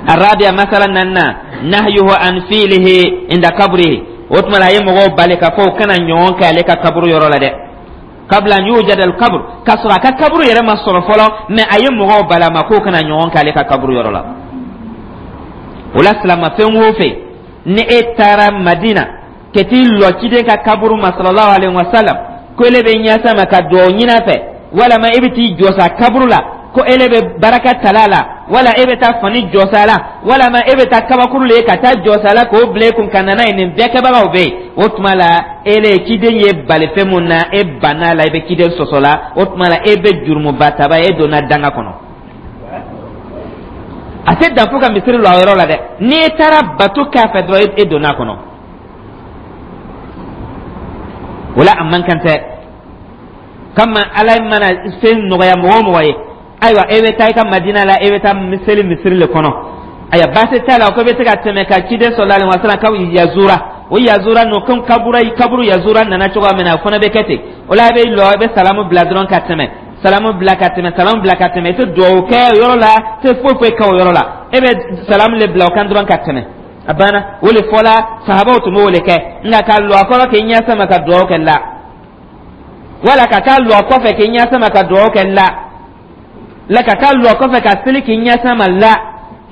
الرابعة, masala naaninan, نهيه عن فعله عند قبره. O tuma la, a ye mɔgɔw bali ka fɔ u kana ɲɔgɔn kɛ ale ka kaburu yɔrɔ la dɛ. قبل أن يوجد القبر, k'a sɔrɔ a ka kaburu yɛrɛ ma sɔrɔ fɔlɔ, mais a ye mɔgɔw bali a ma k'o kana ɲɔgɔn kɛ ale ka kaburu yɔrɔ la. O la, silama fɛn o fɛn Ni e taara Madina ka t'i lɔ ciden ka kaburu ma, sallallahu alaihi wasallam, ko ele bɛ ɲɛsa ma ka duwawu ɲini a fɛ, walama e bɛ t'i jɔsa a kaburu la ko ele bɛ baraka tala la, wala e bɛ taa fani jɔsa la, walama e bɛ taa kabakuru le ka taa jɔsa la k'o bila e kun ka na n'a ye, nin bɛɛ kɛbagaw bɛ yen. O tuma la, ele ciden ye bali fɛn mun na, e banna la, i bɛ ciden sɔsɔ la. O tuma la, e bɛ jurumuba taba, e donna danga kɔnɔ. A tɛ dan fo ka misiri lɔ a yɔrɔ la dɛ, n'i taara bato k'a fɛ dɔrɔn, e donna a kɔnɔ. O la, a man kan tɛ kama Ala mana fɛn nɔgɔya mɔgɔ o mɔgɔ ye. Ayiwa, e bɛ taa i ka Madina la, e bɛ taa seli misiri le kɔnɔ. Ayiwa, baasi t'a la ko i bɛ se ka tɛmɛ ka ciden sallallahu alaihi wasallam ka yazura, o yazura nɔ ko kaburu kaburu yazura nana cogoya min na, o fana bɛ kɛ ten. O la, a bɛ lɔ, i bɛ salamu bila dɔrɔn ka tɛmɛ, salamu bila ka tɛmɛ, salamu bila ka tɛmɛ. I tɛ duwawu kɛ o yɔrɔ la, i tɛ foyi foyi kɛ o yɔrɔ la, e bɛ salamu le bila o kan dɔrɔn ka tɛmɛ, a banna. O le fɔla, sahabaw tun b'o le kɛ. Nka ka lɔ a kɔrɔ k'i ɲɛ sama ka duwawu kɛ, la, wala ka taa lɔ a kɔfɛ k'i ɲɛ sama ka duwawu kɛ, la, la, ka taa lɔ a kɔfɛ ka seli k'i ɲɛ sama, la,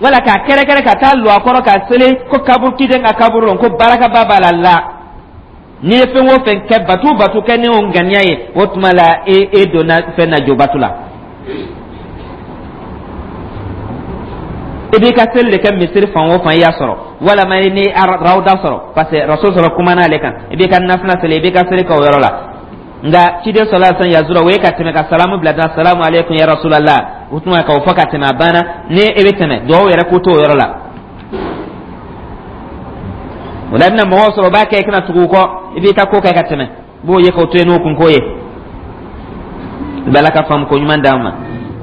wala k'a kɛrɛkɛrɛ ka taa lɔ a kɔrɔ ka seli ko kaburu, ciden ka kaburu lon, ko barakaba b'a la, la. N'i ye fɛn o fɛn kɛ, batu o batu kɛ ni o ŋaniya ye, o tuma la, e donna fɛn na, jobatu la. I b'i ka seli de kɛ misiri fan o fan i y'a sɔrɔ, walama ni rawda sɔrɔ, parce que Rasul sɔrɔ kumana ale kan, i b'i ka nafila seli, i b'i ka seli kɛ o yɔrɔ la. Nka ciden sallallahu alaihi wasallam yazura, o ye ka tɛmɛ ka salamu bila dan, salamu aleykum ya Rasulallah, o tuma k'o fɔ ka tɛmɛ, a banna. Ni e bɛ tɛmɛ, duwawu yɛrɛ ko t'o yɔrɔ la. O la, i bɛna mɔgɔw sɔrɔ o b'a kɛ, i kana tugu u kɔ, i b'i ka ko kɛ ka tɛmɛ, i b'o ye k'o to yen n'o kunko ye. I bɛ Ala ka faamu ko ɲuman d'an ma.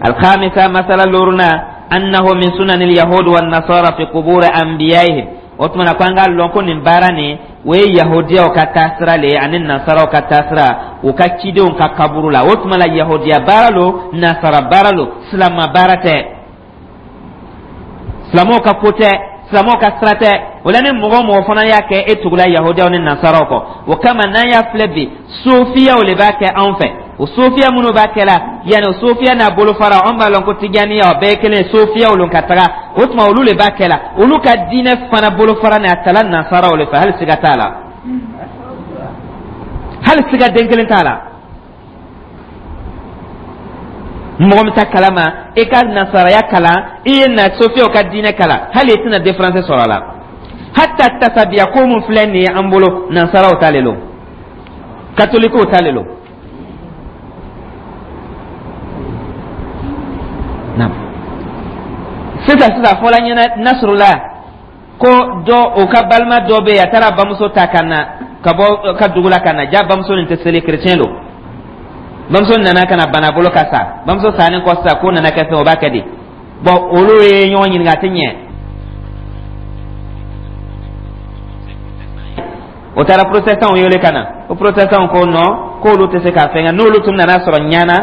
Alkhamisa, masala loruna, annahu min sunanil yahud wan nasara fi qubur anbiyaihim. O tuma na, ko an k'a lɔn ko nin baara nin, o ye yahudiyaw ka taasira le ye ani nasaraw ka taasira u ka cidenw ka kaburu la. O tuma la, yahudiya baara lo, nasara baara lo, silama baara tɛ, silamɛw ka ko tɛ, silamɛw ka sira tɛ. O la, ni mɔgɔ o mɔgɔ fana y'a kɛ, e tugula yahudiyaw ni nasaraw kɔ. O kama, n'an y'a filɛ bi, sofiyaw le b'a kɛ anw fɛ. O sofiya minnu b'a kɛ la, yanni o sofiya n'a bolofara, anw b'a lɔn ko tijaniya, o bɛɛ ye kelen ye, sofiyaw lon ka taga. O tuma, olu le b'a kɛ la, olu ka diinɛ fana bolofara ni a tala nasaraw le fɛ. Hali siga t'a la, hali siga den kelen t'a la. Mɔgɔ min t'a kalama, i ka nasaraya kalan, i ye na sofiyaw ka diinɛ kalan, hali i tɛna différence sɔrɔ a la. Hatta tasabiya ko mun filɛ nin ye an bolo, nasaraw ta le lo, katolikiw ta le lo. Sisan sisan, fɔla ɲɛna Nasrula ko dɔ, o ka balima dɔ bɛ yen, a taara bamuso ta ka na ka bɔ ka dugu la ka na. Ja bamuso nin tɛ seli, kerecɛn don. Bamuso nana ka na bana bolo ka sa. Bamuso sannen kɔ sisan, ko nana kɛ fɛn o b'a kɛ di? Bɔn, olu ye ɲɔgɔn ɲininka, a tɛ ɲɛ. O taara protestantw wele ka na. O protestantw ko non, k'olu tɛ se k'a fɛn kɛ. N'olu tun nana sɔrɔ ɲana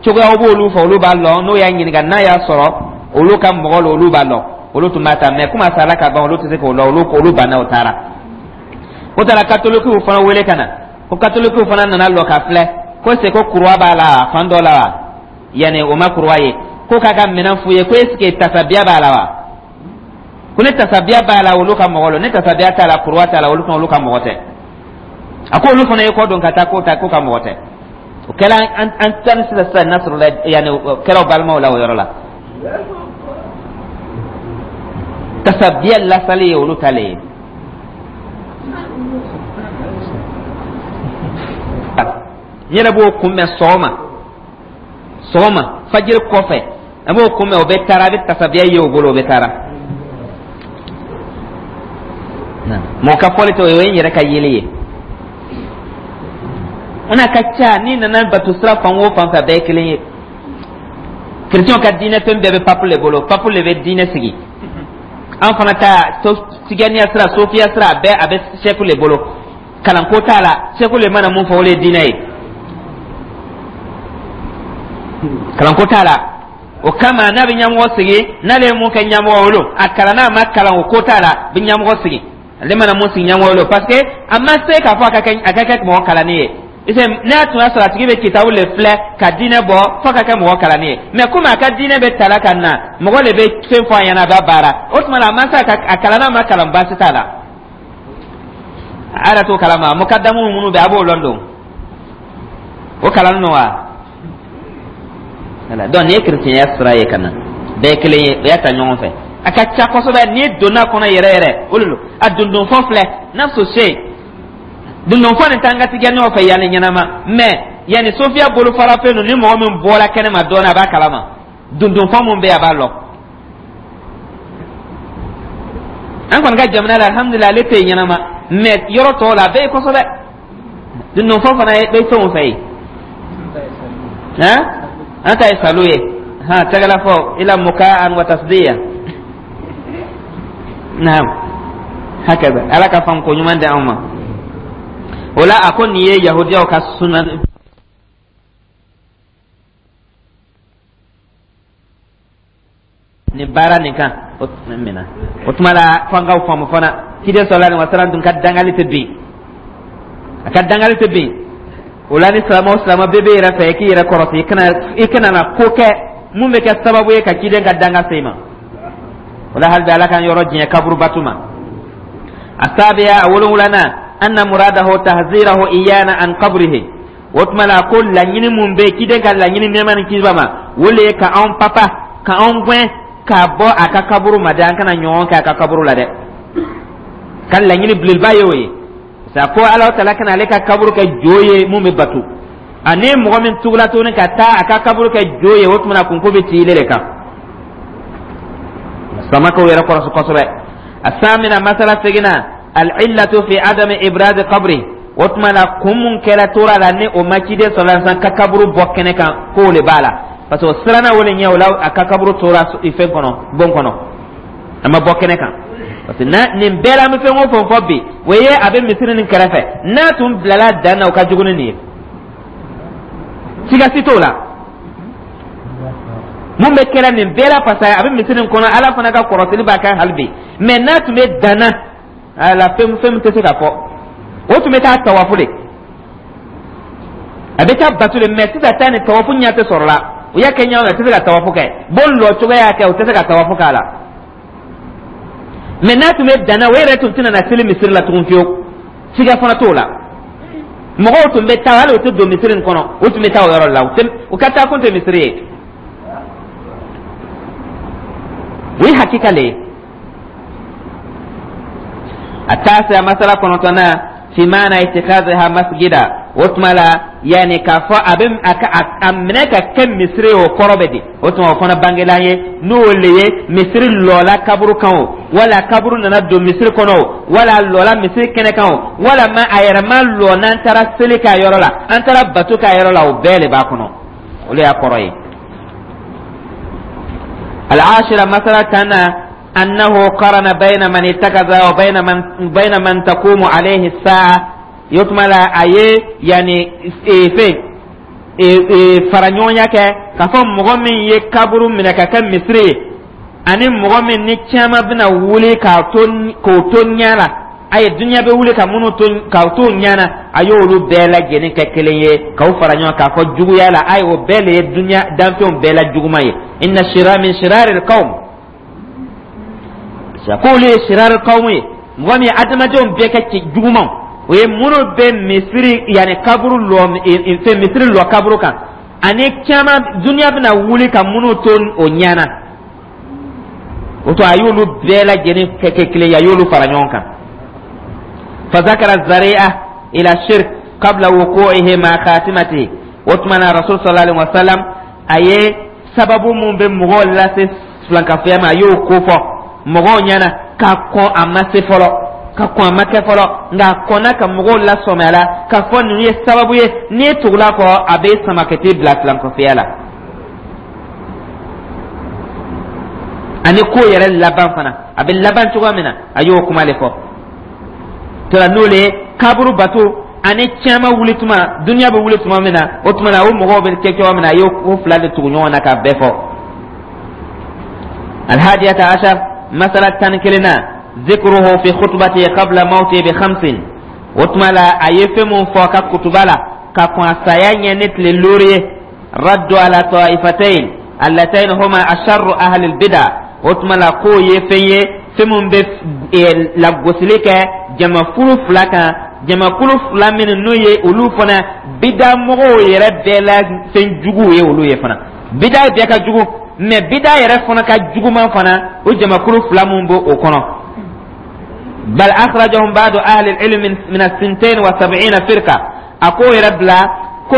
cogoyaw b'olu fɛ, olu b'a lɔn. N'o y'a ɲininka, n'a y'a sɔrɔ olu ka mɔgɔ lo, olu b'a lɔn, olu tun b'a ta. Mɛ komi a sara ka ban, olu tɛ se k'o lɔn. Olu ko olu banna, o taara. O taara katolikiw fana wele ka na. Ko katolikiw fana nana lɔ ka filɛ ko se ko kuruwa b'a la fan dɔ la wa, yanni o ma kuruwa ye, ko k'a ka minɛn f'u ye ko est ce que tasabiya b'a la wa. Ko ni tasabiya b'a la, olu ka mɔgɔ lo. Ni tasabiya t'a la, kuruwa t'a la, olu fana, olu ka mɔgɔ tɛ. A ko olu fana ye kɔ don ka taa ko ta ko ka mɔgɔ tɛ. O kɛra an tan sisan sisan Nasrula, yanni o kɛra o balimaw la o yɔrɔ la. Tasabiya lasali ye olu ta le ye. N yɛrɛ b'o kunbɛn sɔgɔma sɔgɔma, fajiri kɔfɛ, an b'o kunbɛn. O bɛ taara, a bɛ tasabiya ye o bolo, o bɛ taara. Mɔgɔ ka fɔli tɛ, o ye n yɛrɛ ka yeli ye. O n'a ka ca, n'i nana bato sira fan o fan fɛ, a bɛɛ ye kelen ye. Kerecɛnw ka diinɛ fɛn bɛɛ bɛ papu le bolo, papu le bɛ diinɛ sigi. An fana ta tijaniya sira, sofiya sira, a bɛɛ a bɛ sɛku le bolo. Kalanko t'a la, sɛku le mana mun fɔ, o le ye diinɛ ye, kalanko t'a la. O kama, n'a bɛ ɲɛmɔgɔ sigi, n'ale ye mun kɛ ɲɛmɔgɔ o, a kalan n'a ma kalan, o ko t'a la, bɛ ɲɛmɔgɔ sigi, ale mana mun sigi ɲɛmɔgɔ o, parce que a ma se k'a fɔ a ka kɛ mɔgɔ kalannen ye. N'a tun y'a sɔrɔ a tigi bɛ kitabu le filɛ ka diinɛ bɔ, fo ka kɛ mɔgɔ kalannen ye. Mɛ komi a ka diinɛ bɛ tala ka na, mɔgɔ de bɛ fɛn fɔ a ɲɛna, a b'a baara. O tuma na, a ma se a kalan n'a ma kalan, baasi t'a la. A yɛrɛ t'o kalama. Mukadamu minnu bɛ, a b'o lɔn don, o kalan nɔ wa. Voilà. Donc nin ye kerecɛnya sira ye ka na, bɛɛ ye kelen ye, o y'a ta ɲɔgɔn fɛ. A ka ca kosɛbɛ. N'i donna kɔnɔ yɛrɛ yɛrɛ, o de don. A dundunfɔ filɛ, nafsu sey dundunfɔ nin t'an ka tigɛ ɲɔgɔn fɛ yanni ɲɛnama. Mais yanni sofiya bolofara fɛn don, ni mɔgɔ min bɔra kɛnɛma dɔɔnin, a b'a kalama dundunfɔ mun bɛ yen, a b'a lɔn. An kɔni ka jamana la, alhamdulilah, ale tɛ yen ɲɛnama, mais yɔrɔ tɔw la, a bɛ yen kosɛbɛ. Dundunfɔ fana bɛ fɛnw fɛ yen. Han, an ta ye salu ye, han, tɛgɛla fɔ ila mukaan wa tasdiya. Naam, hakaza. Ala ka faamu ko ɲuman di anw ma. O la, a ko nin ye yahudiyaw ka suna nin baara nin kan o minɛ. O tuma la, fo an k'aw faamu fana, ciden sallallahu alaihi wasallam dun ka dangali tɛ bin, a ka dangali tɛ bin. O la, ni silamɛ o silamɛ bɛɛ bɛ yɛrɛ fɛ, i k'i yɛrɛ kɔrɔsi, i kana na ko kɛ mun bɛ kɛ sababu ye ka ciden ka danga se i ma. O la, hali bi, Ala k'an yɔrɔ diɲɛ kaburu batu ma. Asabiya, a wolonwulanan, anna muradahu tahzirahu iyana an qabrihi. O tuma la, ko laɲini mun bɛ ciden ka laɲini, nɛɛma ni kisi b'a ma, o le ye ka anw papa, ka anw gɛn ka bɔ a ka kaburu ma dɛ. An kana ɲɔgɔn kɛ a ka kaburu la dɛ. Ka laɲini belebeleba ye o ye sa, ko Ala taala kana ale ka kaburu kɛ jo ye mun bɛ bato. Ani mɔgɔ min tugula tuguni ka taa a ka kaburu kɛ jo ye, o tuma na kunko bɛ ci ile de kan. Samakaw yɛrɛ kɔrɔsi kosɛbɛ. Asamina, masala seginna, al'illatu fi adami ibradi qabri. O tuma la, kun mun kɛra tora la ni o ma ciden sallallahu alaihi wasallam ka kaburu bɔ kɛnɛ kan, k'o le b'a la, parce que o siranna o le ɲɛ. O la, a ka kaburu tora fɛn kɔnɔ, bon kɔnɔ, a ma bɔ kɛnɛ kan, parce que na nin bɛɛ la, an bɛ fɛn o fɛn fɔ bi, o ye a bɛ misiri nin kɛrɛfɛ. N'a tun bilala dan na, o ka jugu ni nin ye, siga si t'o la. Mun bɛ kɛra nin bɛɛ la, parce que a bɛ misiri nin kɔnɔ, Ala fana ka kɔrɔsili b'a kan hali bi. Mais n'a tun bɛ dan na, a la fɛn fɛn tɛ se ka fɔ. O tun bɛ taa tawafu de, a bɛ taa bato de. Mais sisan ta nin, tawafu ɲɛ tɛ sɔrɔ la. U y'a kɛ ɲɔgɔn, a tɛ se ka tawafu kɛ. Bon lɔ cogoya y'a kɛ, u tɛ se ka tawafu k'a la. Mais n'a tun bɛ danna, o yɛrɛ tun tɛna na seli misiri la tugun fiyewu, siga fana t'o la. Mɔgɔw tun bɛ taa, hali u tɛ don misiri in kɔnɔ, u tun bɛ taa o yɔrɔ la. U ka taa kun tɛ misiri ye, o ye hakika le ye. Atasiya, masala kɔnɔntɔnnan, fi maana itikaziha masjida. O tuma la, yanni k'a fɔ a bɛ a ka a minɛ ka kɛ misiri ye, o kɔrɔ bɛ di? O tuma, o fana bangela ye n'o le ye misiri lɔla kaburu kan o, wala kaburu nana don misiri kɔnɔ o, wala lɔla misiri kɛnɛ kan o, wala ma a yɛrɛ ma lɔ, n'an taara seli k'a yɔrɔ la, an taara bato k'a yɔrɔ la, o bɛɛ de b'a kɔnɔ. O de y'a kɔrɔ ye. Al-ashira, masala tanna, annahu qarana bayna man ittakaza wa bayna man taqumu alayhi as-sa'a. O tuma la, a ye yanni fɛn fara ɲɔgɔnya kɛ k'a fɔ mɔgɔ min ye kaburu minɛ ka kɛ misiri ye, ani mɔgɔ min ni caman bɛna wuli k'a to k'o to ɲɛ la, a ye dunuya bɛ wuli ka minnu to k'aw to ɲɛ na, a y'olu bɛɛ lajɛlen kɛ kelen ye k'aw fara ɲɔgɔn k'a fɔ juguya la. A ye o bɛɛ de ye dunuya danfɛnw bɛɛ la juguman ye. Inna shira min shiraril qawm, k'olu ye shiraril qawm ye, mɔgɔ min ye adamadenw bɛɛ kɛ cɛ jugumanw, o ye minnu bɛ misiri, yanni kaburu lɔ, fɛn misiri lɔ kaburu kan, ani caman dunuya bɛna wuli ka minnu to o ɲɛ na. O to, a y'olu bɛɛ lajɛlen kɛ kelen ye, a y'olu fara ɲɔgɔn kan. Fazakara zari'a ila shirk qabla wuqu'ihi ma khatimatihi. O tuma na, rasul sallallahu alaihi wasallam a ye sababu mun bɛ mɔgɔw lase filankafoya ma, a y'o ko fɔ mɔgɔw ɲɛna ka kɔn a ma se fɔlɔ, ka kɔn a ma kɛ fɔlɔ, nka a kɔnna ka mɔgɔw lasɔmi a la k'a fɔ ninnu ye sababu ye, n'i ye tugula kɔ, a bɛ sama ka t'i bila filankafoya la. Ani ko yɛrɛ laban fana, a bɛ laban cogoya min na, a y'o kuma de fɔ tora, n'o le ye kaburu bato ani caman wuli tuma, duniya bɛ wuli tuma min na. O tuma na, o mɔgɔw bɛ kɛ cogoya min na, a y'o fila de tugu ɲɔgɔn na k'a bɛɛ fɔ. Alhadiyata ashar, masala 11nan, zikruhu fi khutbati qabla mawti bi khamsin. O tuma la, a ye fɛn mun fɔ a ka kutuba la ka kɔn a saya ɲɛ ni tile 5 ye, raddu ala taifatayn allatayn huma asharru ahli albida. O tuma la, k'o ye fɛn ye. Fɛn min bɛ lagosili kɛ jamakulu fila kan, jamakulu fila minnu n'o ye olu fana bida mɔgɔw yɛrɛ bɛɛ la fɛn juguw ye, olu ye fana bida bɛɛ ka jugu, mais bida yɛrɛ fana ka juguman fana, o jamakulu fila mun b'o o kɔnɔ. Bal akhrajahum ba'du ahli al-ilm min as-72 firqa. A k'o yɛrɛ bila ko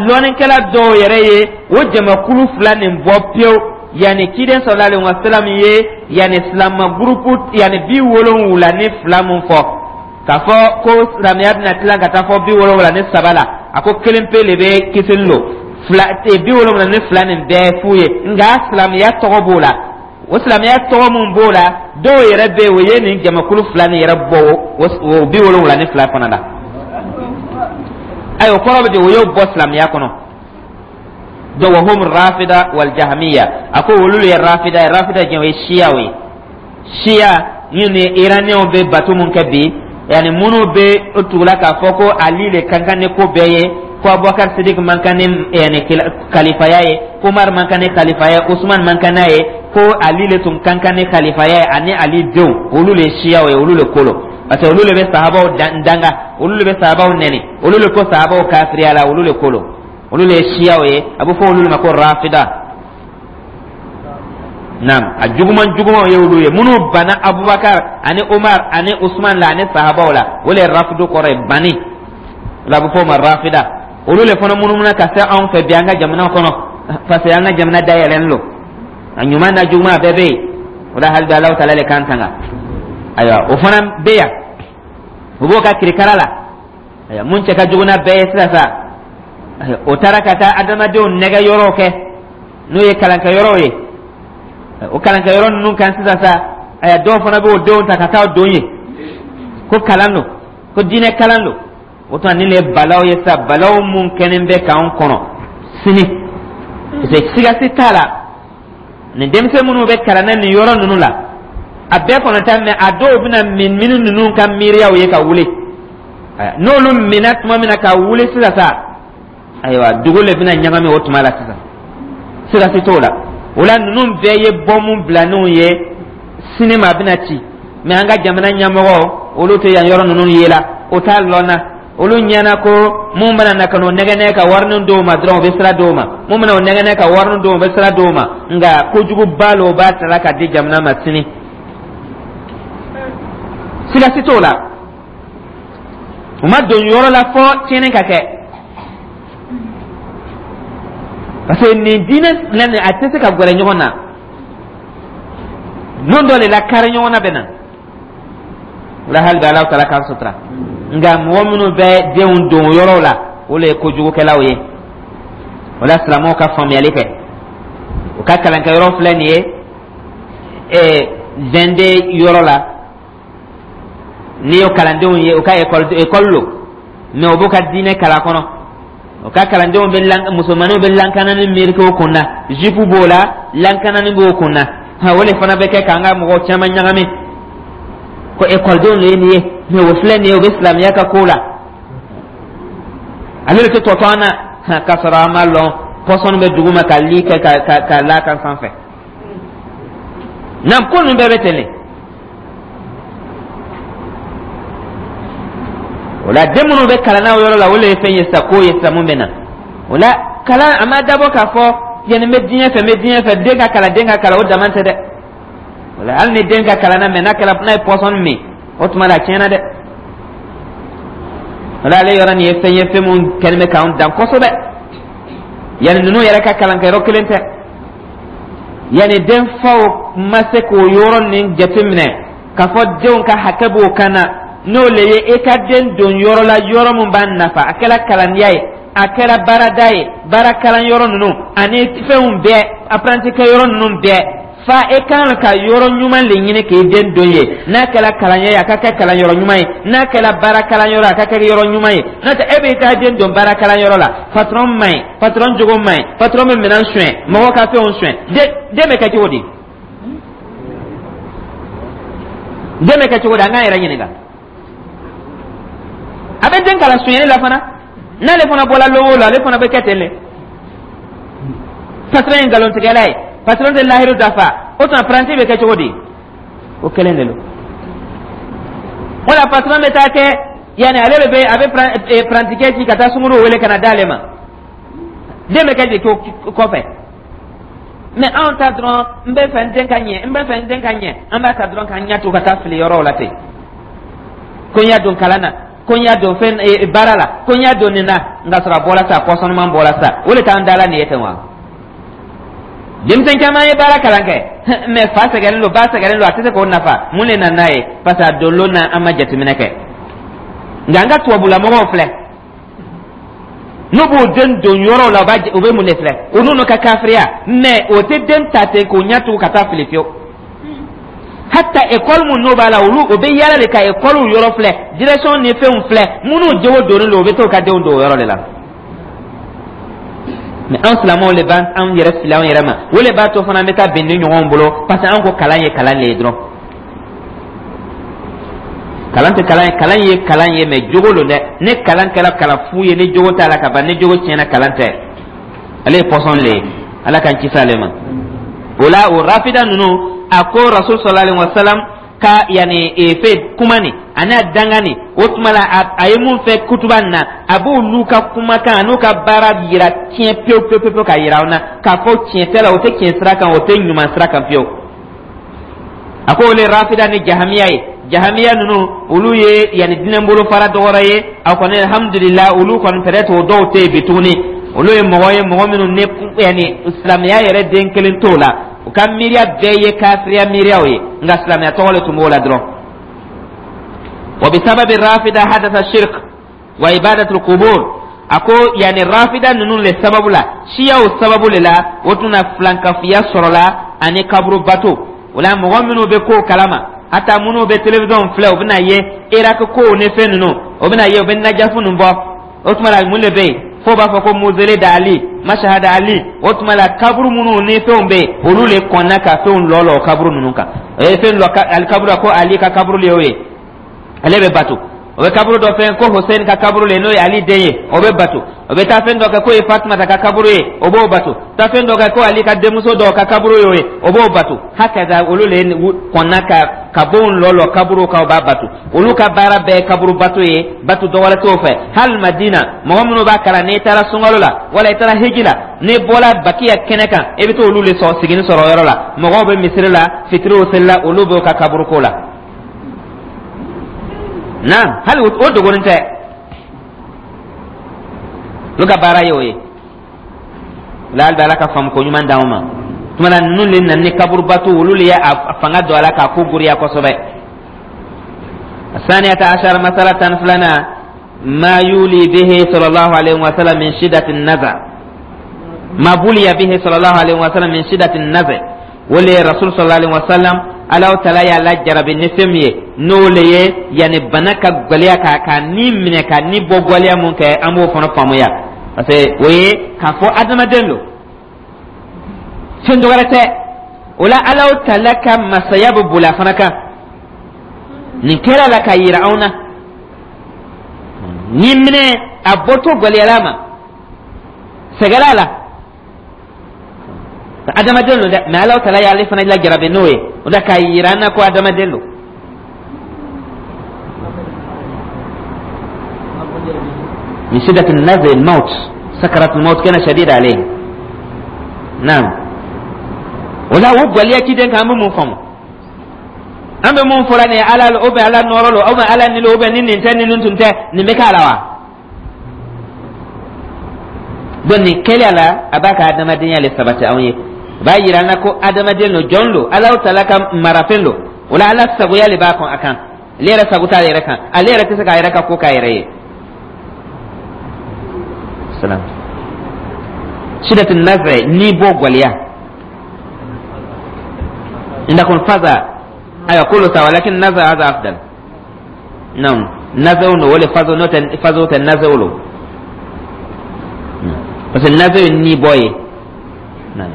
lɔnnikɛla dɔw yɛrɛ ye o jamakulu fila nin bɔ pewu. Yanni ciden sallallahu alaihi wasallam ye yanni silama gurupu yanni 72 mun fɔ k'a fɔ ko silamɛya bɛna tila ka taa fɔ 73 la, a ko kelen pe le bɛ kisili lo, fila 72 nin bɛɛ fu ye. Nka silamɛya tɔgɔ b'o la, o silamɛya tɔgɔ mun b'o la, dɔw yɛrɛ bɛ yen, o ye nin jamakulu fila nin yɛrɛ bɔ o 72 fana la. Ayiwa, o kɔrɔ bɛ di? O y'o bɔ silamɛya kɔnɔ. Donc wa hum rafida wal jahmiya. A ko olu ye rafida ye. Rafida jɛn, o ye siyaw ye. Siya minnu ye Iraniyɛnw bɛ bato mun kɛ bi, yanni minnu bɛ o tugula k'a fɔ ko Ali le ka kan ni ko bɛɛ ye, ko Abubakar Sidik man kan ni yanni kalifaya ye, ko Umar man kan ni kalifaya ye, Usman man kan n'a ye, ko Ali le tun ka kan ni kalifaya ye ani Ali denw, olu le ye siyaw ye. Olu le ko lo, parce que olu le bɛ sahabaw danga, olu le bɛ sahabaw nɛni, olu le ko sahabaw kafiriya la, olu le ko lo, olu le ye siyaw ye. A bɛ fɔ olu ma ko rafida. Naam, a juguman jugumanw ye olu ye minnu banna Abubakar ani Umar ani Usman la ani sahabaw la. O le ye rafidu kɔrɔ ye, banni o la, a bɛ fɔ o ma rafida. Olu le fana munumuna ka se anw fɛ bi an ka jamana kɔnɔ, parce que an ka jamana dayɛlɛlen don, a ɲuman n'a juguman a bɛɛ bɛ yen. O la, hali bi Alahu taala le k'an tanga. Ayiwa, o fana bɛ yan, o b'o ka kirikara la. Ayiwa, mun cɛ ka jugu n'a bɛɛ ye sisan sa, o taara ka taa adamadenw nɛgɛ yɔrɔw kɛ, n'o ye kalankɛyɔrɔw ye. O kalankɛyɔrɔ ninnu kan sisan sa, ayiwa, dɔw fana b'o denw ta ka taa don yen ko kalan don, ko diinɛ kalan don. O tuma nin de ye balaw ye sa, balaw mun kɛlen bɛ k'an kɔnɔ sini, parce que siga si t'a la, nin denmisɛn minnu bɛ kalan na nin yɔrɔ ninnu la, a bɛɛ kɔnɔ tɛ, mais a dɔw bɛna min minnu ninnu ka miiriyaw ye ka wuli. N'olu minna tuma min na ka wuli sisan sa, ayiwa, dugu le bɛna ɲagami o tuma la sisan, siga si t'o la. O la, ninnu bɛɛ ye bɔnmu bilaninw ye, sini ma a bɛna ci. Mais an ka jamana ɲɛmɔgɔ, olu tɛ yan yɔrɔ ninnu ye la, o t'a lɔn na. Olu ɲɛna ko mun bɛna na ka n'o nɛgɛnɛ ka warinin d'o ma dɔrɔn, o bɛ sira d'o ma. Mun bɛna o nɛgɛnɛ ka warinin d'o ma, o bɛ sira d'o ma. Nka kojuguba lo, o b'a tala ka di jamana ma sini, siga si t'o la. U ma don yɔrɔ la fɔ tiɲɛni ka kɛ, parce que nin diinɛ filɛ nin, a tɛ se ka gɛrɛ ɲɔgɔn na. Don dɔ de la, kari ɲɔgɔn na bɛ na. O la, hali bi Alahu taala k'an sutura. Nka mɔgɔ minnu bɛ denw don yɔrɔw la, o le ye kojugukɛlaw ye. O la, silamɛw ka faamuyali kɛ, u ka kalankɛyɔrɔ filɛ nin ye 22 yɔrɔ la, n'i y'o kalandenw ye, u ka ekɔli, ekɔli lo, mais u b'u ka diinɛ kalan kɔnɔ. O ka kalandenw bɛ lan, musomanninw bɛ lankanani miiriki o kun na, jupe b'o la, lankanani b'o kun na. O de fana bɛ kɛ k'an ka mɔgɔw caman ɲagami ko ekɔlidenw de ye nin ye, mais o filɛ nin ye, o bɛ silamɛya ka ko la, ale de tɛ tɔtɔ an na, k'a sɔrɔ an m'a lɔn, pɔsɔni bɛ dugu ma ka li kɛ ka l'a kan sanfɛ. Naam, ko ninnu bɛɛ bɛ ten de. O la, den minnu bɛ kalan na o yɔrɔ la, o de ye fɛn ye sa, ko ye sa mun bɛ na. O la, kalan a ma dabɔ k'a fɔ yanni n bɛ diɲɛ fɛ, n bɛ diɲɛ fɛ, den ka kalan, den ka kalan, o dama tɛ dɛ. O la, hali ni den ka kalan na, mais n'a kɛra n'a ye pɔsɔni min, o tuma la a tiɲɛna dɛ. O la, ale yɔrɔ nin ye fɛn ye, fɛn mun kɛlen bɛ k'anw dan kosɛbɛ. Yanni ninnu yɛrɛ ka kalankɛyɔrɔ kelen tɛ, yanni denfaw ma se k'o yɔrɔ nin jateminɛ k'a fɔ denw ka hakɛ b'o kan na, n'o le ye i ka den don yɔrɔ la, yɔrɔ min b'a nafa, a kɛra kalandenya ye, a kɛra baarada ye, baara kalan yɔrɔ ninnu ani fɛnw bɛɛ, apprenti kɛ yɔrɔ ninnu bɛɛ fa, e kan ka yɔrɔ ɲuman le ɲini k'i den don yen. N'a kɛra kalanya ye, a ka kɛ kalanyɔrɔ ɲuman ye. N'a kɛra baara kalanyɔrɔ, a ka kɛ yɔrɔ ɲuman ye. N'o tɛ, e b'i ka den don baara kalanyɔrɔ la, patron man ɲi, patron jogo man ɲi, patron bɛ minɛn suɲɛ, mɔgɔw ka fɛnw suɲɛ, den bɛ kɛ cogo di? Den bɛ kɛ cogo di? An k'an yɛrɛ ɲininka. A bɛ den kalan sonyɛli la fana, n'ale fana bɔla lon o lon, ale fana bɛ kɛ ten de. Patron ye nkalontigɛla ye, patron tɛ lahiru dafa, o tuma apprenti bɛ kɛ cogo di? O kelen de don. Wala patron bɛ taa kɛ yanni ale de bɛ a bɛ parantikɛ ci ka taa sunguru wele ka na d'ale ma. Den bɛ kɛ de kɔfɛ. Mais anw ta dɔrɔn, n bɛ fɛ n den ka ɲɛ, n bɛ fɛ n den ka ɲɛ, an b'a ta dɔrɔn k'an ɲɛ to ka taa fili yɔrɔw la ten, ko n y'a don kalan na, ko n y'a don fɛn baara la, ko n y'a don nin na, nka sɔrɔ a bɔra sa, pɔsɔnman bɔra sa. O de t'an da la nin ye ten wa. Denmisɛn caman ye baara kalan kɛ, mais fa sɛgɛnnen don, ba sɛgɛnnen don, a tɛ se k'o nafa. Mun de nana n'a ye? Parce que a don lon na, an ma jateminɛ kɛ. Nka an ka tubabulamɔgɔw filɛ, n'u b'o den don yɔrɔw la, u bɛ mun de filɛ? O n'u ka kafiriya, mais o tɛ den ta ten k'o ɲɛ tugu ka taa fili fiyewu. Hatta école mun n'o b'a la, olu o bɛ yala de ka école yɔrɔ filɛ, direction ni fɛnw filɛ, minnu jogo donnen don, u bɛ t'o ka denw don o yɔrɔ de la. Mais an silamɛw de b'an an yɛrɛ fili an yɛrɛ ma. O de b'a to fana an bɛ taa bɛn ni ɲɔgɔn bolo, parce que an ko kalan ye kalan de ye dɔrɔn. Kalan tɛ kalan ye, kalan ye kalan ye, mais jogo don dɛ. Ne kalan kɛra kalan fu ye ni jogo t'a la ka ban, ni jogo tiɲɛna, kalan tɛ, ale ye pɔsɔn le ye. Ala k'an kisi ale ma. O la, o rafida ninnu, a ko Rasul sallallahu alaihi wasallam ka yani fɛ kuma nin ani a danga nin, o tuma la a ye mun fɛ kutuba nin na, a b'olu ka kumakan a n'u ka baara yira tiɲɛ pewu pewu pewu, ka yira aw na k'a fɔ tiɲɛ tɛ la, o tɛ tiɲɛ sira kan, o tɛ ɲuman sira kan fiyewu. A ko olu rafida ni jahamiya ye. Jahamiya ninnu, olu ye yanni diinɛ bolofara dɔ wɛrɛ ye. A kɔni, alhamdulillah, olu kɔni peut-être o dɔw tɛ yen bi tuguni. Olu ye mɔgɔ ye, mɔgɔ minnu ni yanni silamɛya yɛrɛ den kelen t'o la, u ka miiriya bɛɛ ye kafiriya miiriyaw ye, nka silamɛya tɔgɔ de tun b'o la dɔrɔn. Wa bisababi rafida hadatha shirk wa ibadatul qubur. A ko yanni rafida ninnu le sababu la, siyaw sababu le la, o tun na filankafiya sɔrɔla ani kaburu bato. O la, mɔgɔ minnu bɛ kow kalama, hata minnu bɛ télévision filɛ, u bɛna ye Irak kow ni fɛn ninnu, o bɛna ye u bɛ Najafu ninnu bɔ. O tuma la, mun de bɛ yen f'o b'a fɔ ko mausolée d'Ali, Mashhad Ali? O tuma la, kaburu minnu ni fɛnw bɛ yen, olu le kɔnna ka fɛnw lɔ lɔ kaburu ninnu kan. O ye fɛn lɔ ali kaburu la ko Ali ka kaburu le y'o ye, ale bɛ bato. O bɛ kaburu dɔ fɛn ko Hussein ka kaburu le, n'o ye Ali den ye, o bɛ bato. O bɛ taa fɛn dɔ kɛ k'o ye Fatumata ka kaburu ye, o b'o bato. Taa fɛn dɔ kɛ ko Ali ka denmuso dɔw ka kaburu y'o ye, o b'o bato. Hakaza, olu le kɔnna ka bonw lɔ lɔ kaburu kan, o b'a bato. Olu ka baara bɛɛ ye kaburu bato ye, bato dɔ wɛrɛ t'o fɛ. Hali Madina, mɔgɔ minnu b'a kalan, n'i taara sunkalo la wala i taara hiji la, n'i bɔra Bakiya kɛnɛ kan, i bɛ t'olu le sɔrɔ sigini sɔrɔ yɔrɔ la. Mɔgɔw bɛ misiri la, fitiriw seli la, olu b'o ka kaburu ko la. Naam, hali o dogonin tɛ, olu ka baara ye o ye. La hali bɛ Ala ka faamu ko ɲuman d'anw ma. Tuma na ninnu le nana ni kaburubatu, olu le ye a fanga don a la k'a ko goriya kosɛbɛ. الثانية عشر، مسألة 12، ما يولي به صلى الله عليه وسلم من شدة النزع، ما بلي به صلى الله عليه وسلم من شدة النزع. Wole Rasul sallallahu alaihi wasallam, Alaw tala y'a lajarabi ni fɛn min ye, n'o le ye yanni bana ka gwɛlɛya ka ni minɛ, ka ni bɔ gwɛlɛya mun kɛ, an b'o fana faamuya, parce que o ye k'a fɔ adamaden don, fɛn dɔ wɛrɛ tɛ. O la, Alaw tala ka masaya bɛ boli a fana kan. Nin kɛra la k'a yira anw na, ni minɛ a bɔtɔ gwɛlɛyara ma, sɛgɛrɛ la, adamaden don dɛ, mais Alaw tala y'ale fana lajarabi n'o ye. O la, k'a yira an na ko adamaden don. من شدة النزع الموت، سكرة الموت كان شديد عليه. نعم، ولا o gwɛlɛya ciden kan, an bɛ mun faamu? An bɛ mun fɔra nin ye? Ala o bɛ Ala nɔrɔ lo, o bɛ Ala ni lo, o bɛ ni nin tɛ, ni nin tun tɛ, nin bɛ k'a la wa? Donc nin kɛlen a la, a b'a ka adamadenya le sabati anw ye. A b'a yira an na ko adamaden lo, jɔn lo, Alaw tala ka marafɛn lo. O la, Ala sagoya le b'a kɔn a kan, ale yɛrɛ sago t'ale yɛrɛ kan, ale yɛrɛ tɛ se k'a yɛrɛ ka ko k'a yɛrɛ ye. Salam shidatu naz'i, ni bɔ gwɛlɛya عندكم فزع أيوة كله سوا، لكن نزع هذا أفضل. نعم، نزع ولا فزع نوت فزع النزع له، بس النزع ني بوي. نعم.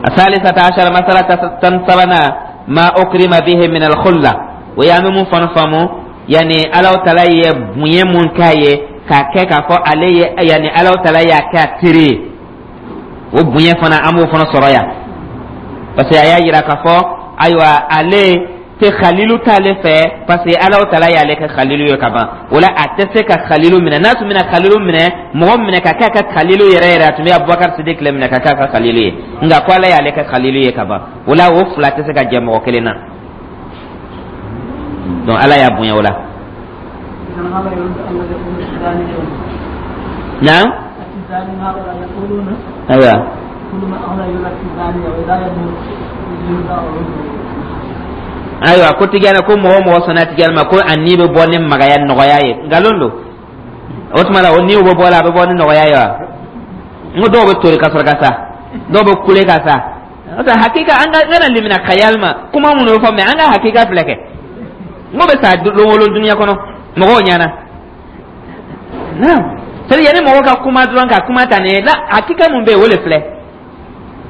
الثالثة عشر، مسألة 13، ما أكرم به من الخلة. ويعني من فنفهمو yani Alaw tala ye bonya mun k'a ye k'a kɛ k'a fɔ ale ye, yani Alaw tala y'a kɛ a teri ye, o bonya fana, an b'o fana sɔrɔ yan, parce que a y'a yira k'a fɔ Ayiwa, ale tɛ khalilu t'ale fɛ, parce que Alahu Taala y'ale kɛ khalilu ye ka ban. O la, a tɛ se ka khalilu minɛ. N'a tun bɛna khalilu minɛ, mɔgɔ minɛ ka k'a ka khalilu yɛrɛ yɛrɛ, a tun bɛ Abubakar Sidik le minɛ ka k'a ka khalilu ye. Nka ko Ala y'ale kɛ khalilu ye ka ban, o la o fila tɛ se ka jɛ mɔgɔ kelen na. Donc Ala y'a bonya o la. Naam, ayiwa. Ayiwa, ko Tijani ko mɔgɔ o mɔgɔ sɔnna Tijani ma, ko a ni bɛ bɔ ni magaya nɔgɔya ye, nkalon don. O tuma la, o niw bɛ bɔ la, a bɛ bɔ ni nɔgɔya ye wa? N ko dɔw bɛ tori ka sɔrɔ ka sa, dɔw bɛ kule ka sa. O tɛ hakika. An ka n kana limina khayal ma kuma minnu bɛ fɔ, mais an ka hakika filɛ kɛ. N ko bɛ sa don o don dunuya kɔnɔ mɔgɔw ɲɛna. Naam, c'est à dire yanni mɔgɔw ka kuma dɔrɔn, ka kuma ta nin ye la, hakika mun bɛ yen, o de filɛ.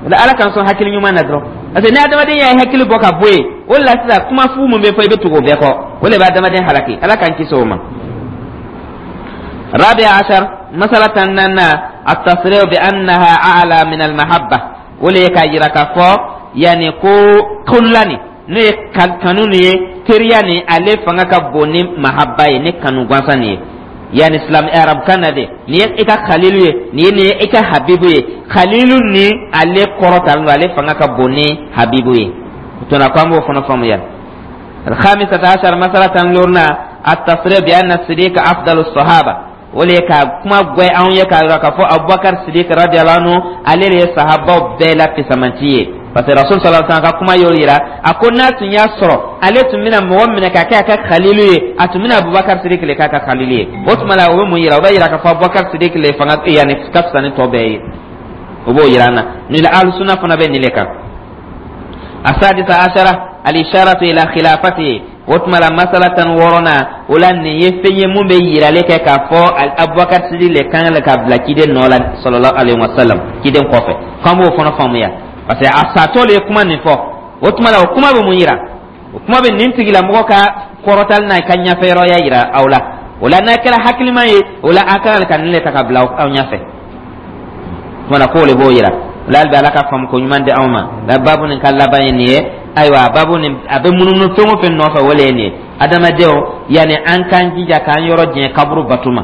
O la, Ala k'an sɔn hakili ɲuman na dɔrɔn, parce que ni adamaden y'a hakili bɔ ka bɔ yen, o de la sisan kuma fu mun bɛ fɔ, i bɛ tugu o bɛɛ kɔ, o de bɛ adamaden halaki. Ala k'an kisi o ma. رابع عشر مسألة أننا التصريح بأنها أعلى من المحبة. O le ye k'a yira k'a fɔ yanni ko kullani, n'o ye kanu nin ye, teriya nin, ale fanga ka bon ni mahaba ye, ni kanu gansan nin ye. Yani silam arabukan na de, nin ye i ka khalilu ye, nin ye i ka habibu ye. Khalilu ni ale kɔrɔtalen don, ale fanga ka bon ni habibu ye. O tuma ko an b'o fana faamuya. الخامسة عشر مسألة لورنا التصريح بأن الصديق أفضل الصحابة. O le ye ka kuma gwɛ anw ye k'a yira k'a fɔ Abubakar Sidik radiyallahu anhu, ale de ye sahabaw bɛɛ la fisamanci ye, parce que Rasul sallallahu alaihi wasallam ka kuma y'o yira. A ko n'a tun y'a sɔrɔ ale tun bɛna mɔgɔ minɛ ka kɛ a ka khalilu ye, a tun bɛna Abubakar Sidik le k'a ka khalilu ye. O tuma la, o bɛ mun yira? O b'a yira k'a fɔ Abubakar Sidik le fanga yanni ka fisa ni tɔ bɛɛ ye. O b'o yira an na. Nin la, Alusuna fana bɛ nin le kan. السادسة عشرة الإشارة إلى خلافته. O tuma la, masala 16nan o la, nin ye fɛn ye mun bɛ yirali kɛ k'a fɔ Abubakar Sidi le kan ka bila ciden nɔ la sallallahu alaihi wasallam, ciden kɔfɛ, k'an b'o fana faamuya, parce que a satɔ le ye kuma nin fɔ. O tuma la, o kuma bɛ mun yira? O kuma bɛ nin tigilamɔgɔ ka kɔrɔtali n'a ka ɲɛfɛyɔrɔya yira aw la. O la, n'a kɛra hakilima ye, o la a kan ka nin le ta ka bila aw ɲɛfɛ. Tuma la, k'o le b'o yira. O la, hali bi, Ala ka faamu ko ɲuman di anw ma. La babu nin ka laban ye nin ye. Ayiwa, babu nin a bɛ munumunu fɛn o fɛn nɔfɛ, o le ye nin ye. Adamadenw, yanni an k'an jija k'an yɔrɔ janya kaburu batu ma,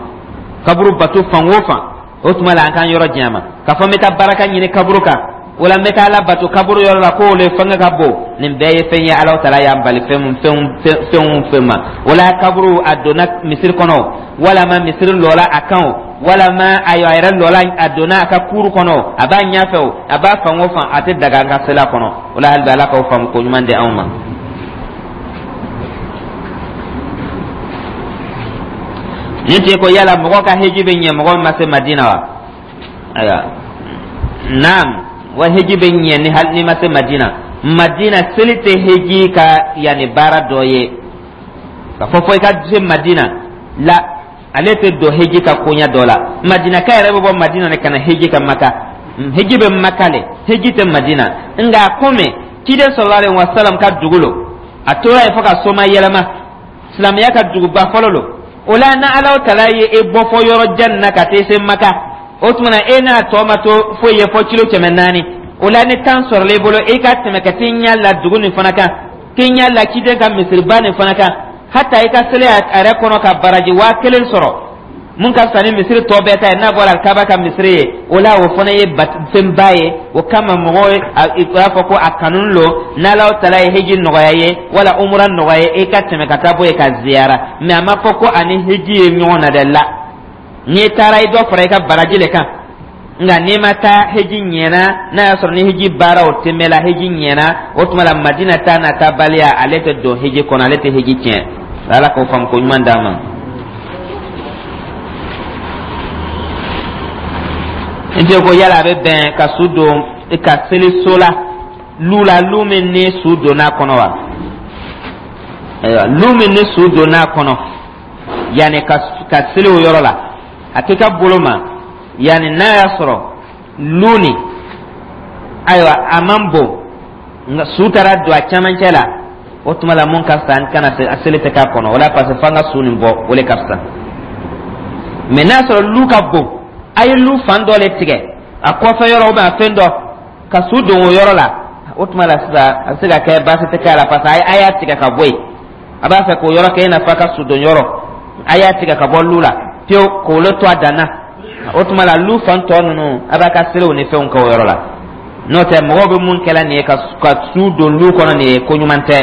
kaburu batu fan o fan, o tuma la an k'an yɔrɔ janya ma. K'a fɔ n bɛ taa baraka ɲini kaburu kan, wala n bɛ taa Ala bato kaburu yɔrɔ la, k'o le fanga ka bon, nin bɛɛ ye fɛn ye Ala taala y'an bali fɛn mun fɛn fɛn o fɛn ma. Wala kaburu a donna misiri kɔnɔ, walama misiri lɔla a kan o, walama ayiwa a yɛrɛ lɔla a donna a ka kuru kɔnɔ, a b'a ɲɛfɛ o, a b'a fan o fan, a tɛ daga an ka seli a kɔnɔ. O la, hali bi, Ala k'aw faamu ko ɲuman di anw ma. Nin tɛ ko yala mɔgɔ ka heji bɛ ɲɛ mɔgɔ min ma se Madina wa? Ayiwa, naam, wa heji bɛ ɲɛ ni hali n'i ma se Madina. Madina seli tɛ heji ka yanni baara dɔ ye ka fɔ fo i ka se Madina la, ale tɛ don heji ka koɲa dɔ la. Madinaka yɛrɛ bɛ bɔ Madina de ka na heji ka Maka. Heji bɛ Maka le, heji tɛ Madina. Nka komi ciden sallallahu alaihi wasallam ka dugu lo, a tora yen fo ka soma yɛlɛma, silamɛya ka duguba fɔlɔ lo. O la, na Alahu taala ye e bɔ fɔ yɔrɔ jan na ka taa se Maka, o tuma na e n'a tɔ ma to foyi ye fɔ kilo 400. O la, ni temps sɔrɔla i bolo, i ka tɛmɛ ka t'i ɲɛ la dugu nin fana kan, k'i ɲɛ la ciden ka misiriba nin fana kan, hata i ka seli a yɛrɛ kɔnɔ ka baraji 1000 sɔrɔ, mun ka fisa ni misiri tɔ bɛɛ ta ye n'a bɔra Kaba ka misiri ye. O la, o fana ye fɛnba ye. O kama mɔgɔw b'a fɔ ko a kanu lo, n'Alahu taala ye heji nɔgɔya ye wala umura nɔgɔya ye, i ka tɛmɛ ka taa bɔ yen ka ziyara. Mais a ma fɔ ko ani heji ye ɲɔgɔn na dɛ. La, n'i taara, i dɔ fara i ka baraji le kan. Nka n'i ma taa, heji ɲɛna. N'a y'a sɔrɔ ni heji baaraw tɛmɛla, heji ɲɛna. O tuma la, Madina taa n'a taabaliya, ale tɛ don heji kɔnɔ, ale tɛ heji tiɲɛ. Ala k'o faamu ko ɲuman d'an ma. N tɛ ko yala a bɛ bɛn ka su don ka seli so la, lu la, lu min ni su donna a kɔnɔ wa? Ayiwa, lu min ni su donna a kɔnɔ, yanni ka seli o yɔrɔ la, a tɛ ka bolo ma. Yanni n'a y'a sɔrɔ lu nin, ayiwa, a man bon, nka su taara don a cɛmancɛ la, o tuma la mun ka fisa, an kana a seli tɛ k'a kɔnɔ. O la, parce que f'an ka su nin bɔ, o le ka fisa. Mais n'a sɔrɔ lu ka bon, a ye lu fan dɔ le tigɛ a kɔfɛ yɔrɔ ou bien a fɛn dɔ ka su don o yɔrɔ la, O tuma la sisan, a bɛ se ka kɛ baasi tɛ k'a la, parce que a y'a tigɛ ka bɔ yen. A b'a fɛ k'o yɔrɔ kɛ i n'a fɔ a ka sudon yɔrɔ. A y'a tigɛ ka bɔ lu la pewu k'o le to a dan na. O tuma la, lu fan tɔ ninnu, a b'a ka seliw ni fɛnw kɛ o yɔrɔ la. N'o tɛ, mɔgɔw bɛ mun kɛla nin ye ka su don lu kɔnɔ nin ye, ko ɲuman tɛ.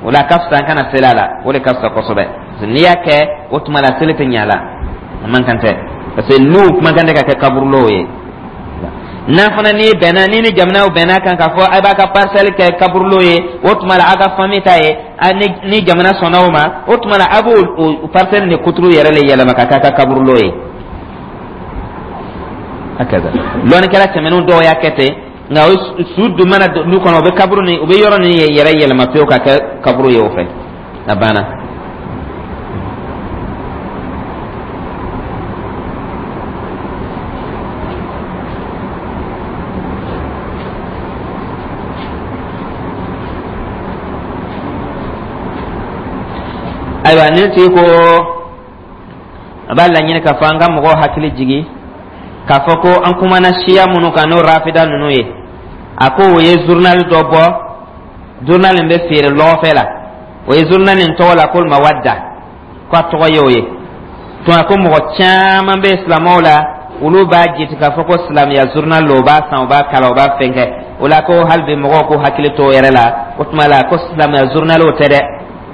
O la, a ka fisa an kana seli a la, o de ka fisa kosɛbɛ. N'i y'a kɛ, o tuma la seli tɛ ɲɛ a la, a man kan tɛ, parce que lu man kan tɛ ka kɛ kaburulow ye. N'a fana n'i bɛnna ni jamanaw bɛnna kan k'a fɔ a b'a ka parcelle kɛ kaburulo ye, o tuma la a ka famille ta ye, ni jamana sɔnna o ma, o tuma la a b'o o parcelle ni kuturu yɛrɛ le yɛlɛma ka k'a ka kaburulo ye. Hakaza lɔnnikɛla tɛmɛnenw dɔw y'a kɛ ten, nka o su dun mana lu kɔnɔ, o bɛ kaburu ni o bɛ yɔrɔ nin yɛrɛ yɛlɛma pewu ka kɛ kaburu ye o fɛ, a banna. Ayiwa, nin tigi ko a b'a laɲini k'a fɔ an ka mɔgɔw hakili jigi k'a fɔ ko an kumana siya minnu kan, n'o rafida ninnu ye, a ko o ye journal dɔ bɔ, journal in bɛ feere lɔgɔfɛ la. O ye journal in tɔgɔ la ko Mawadda, ko a tɔgɔ ye o ye. Tuma ko mɔgɔ caman bɛ silamɛw la, olu b'a jate k'a fɔ ko silamɛya journal lo, u b'a san, u b'a kalan, u b'a fɛn kɛ. O la, ko hali bi mɔgɔw k'u hakili to o yɛrɛ la. O tuma la, ko silamɛya journal o tɛ dɛ,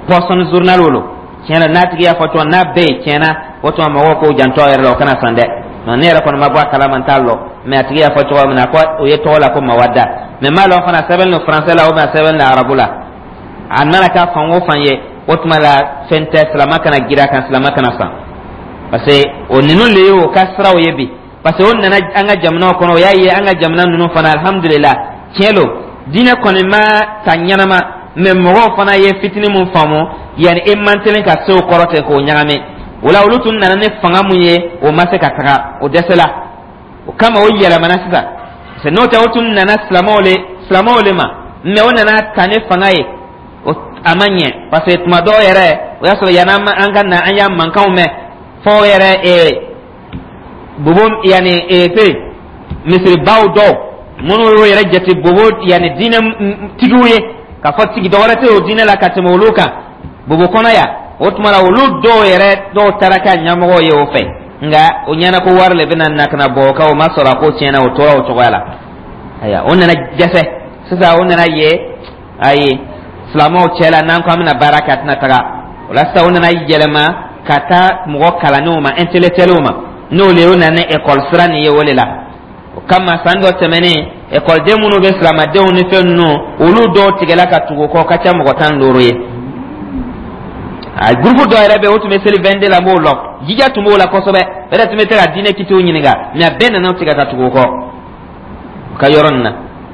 poison journal o lo. Tiɲɛ na, n'a tigi y'a fɔ cogo n'a bɛɛ ye tiɲɛ na, o tuma mɔgɔw k'o janto a yɛrɛ la, o kana san dɛ. Ne yɛrɛ kɔni ma bɔ a kalama, n t'a lɔn, mais a tigi y'a fɔ cogo min na ko o ye tɔgɔ la ko Mawadda, mais n m'a lɔn fana sɛbɛn don français la ou bien sɛbɛn don arabu la. A nana k'a fan o fan ye, o tuma la fɛn tɛ, silama kana girin a kan, silama kana san, parce que o ninnu le ye o ka siraw ye bi, parce que o nana an ka jamanaw kɔnɔ, o y'a ye an ka jamana ninnu fana, alhamdulillah, tiɲɛ lo, diinɛ kɔni ma ta ɲɛnama, mais mɔgɔw fana ye fitinin mun faamu, yanni e man teli ka se o kɔrɔ ten k'o ɲagami. O la, olu tun nana ni fanga mun ye, o ma se ka taga, o dɛsɛla. O kama o yɛlɛmana sisan, parce que n'o tɛ, o tun nana silamɛw le ma, mais o nana ta ni fanga ye, o a ma ɲɛ, parce que tuma dɔw yɛrɛ, o y'a sɔrɔ yanni an ka na, an y'a mankanw mɛn fɔ yɛrɛ bobo, yanni fɛn misiribaw dɔw minnu y'o yɛrɛ jate bobo, yanni diinɛ tigiw ye, k'a fɔ tigi dɔ wɛrɛ tɛ o diinɛ la ka tɛmɛ olu kan bobo kɔnɔ yan. O tuma la, olu dɔw yɛrɛ dɔw taara kɛ ɲɛmɔgɔw ye o fɛ, nka o ɲɛna ko wari le bɛna na ka na bɔ o kan, o ma sɔrɔ, a ko tiɲɛna, o tora o cogoya la. Ayiwa, o nana dɛsɛ sisan, o nana ye ayi silamɛw cɛ la, n'an ko an bɛna baara kɛ, a tɛna taga. O la sisan, o nana yɛlɛma ka taa mɔgɔ kalannenw ma, intellectuels ma, n'o le o nana ni école sira nin ye. O de la, o kama san dɔ tɛmɛnen, ekɔliden minnu bɛ silamadenw ni fɛn ninnu, olu dɔw tigɛla ka tugu kɔ, ka ca mɔgɔ 15 ye. A groupe dɔ yɛrɛ bɛ yen, o tun bɛ seli 22 la, n b'o lɔn, jija tun b'o la kosɛbɛ, o yɛrɛ tun bɛ se ka diinɛ kitiw ɲininka, mais a bɛɛ nana tigɛ ka tugu o kɔ u ka yɔrɔ nin na,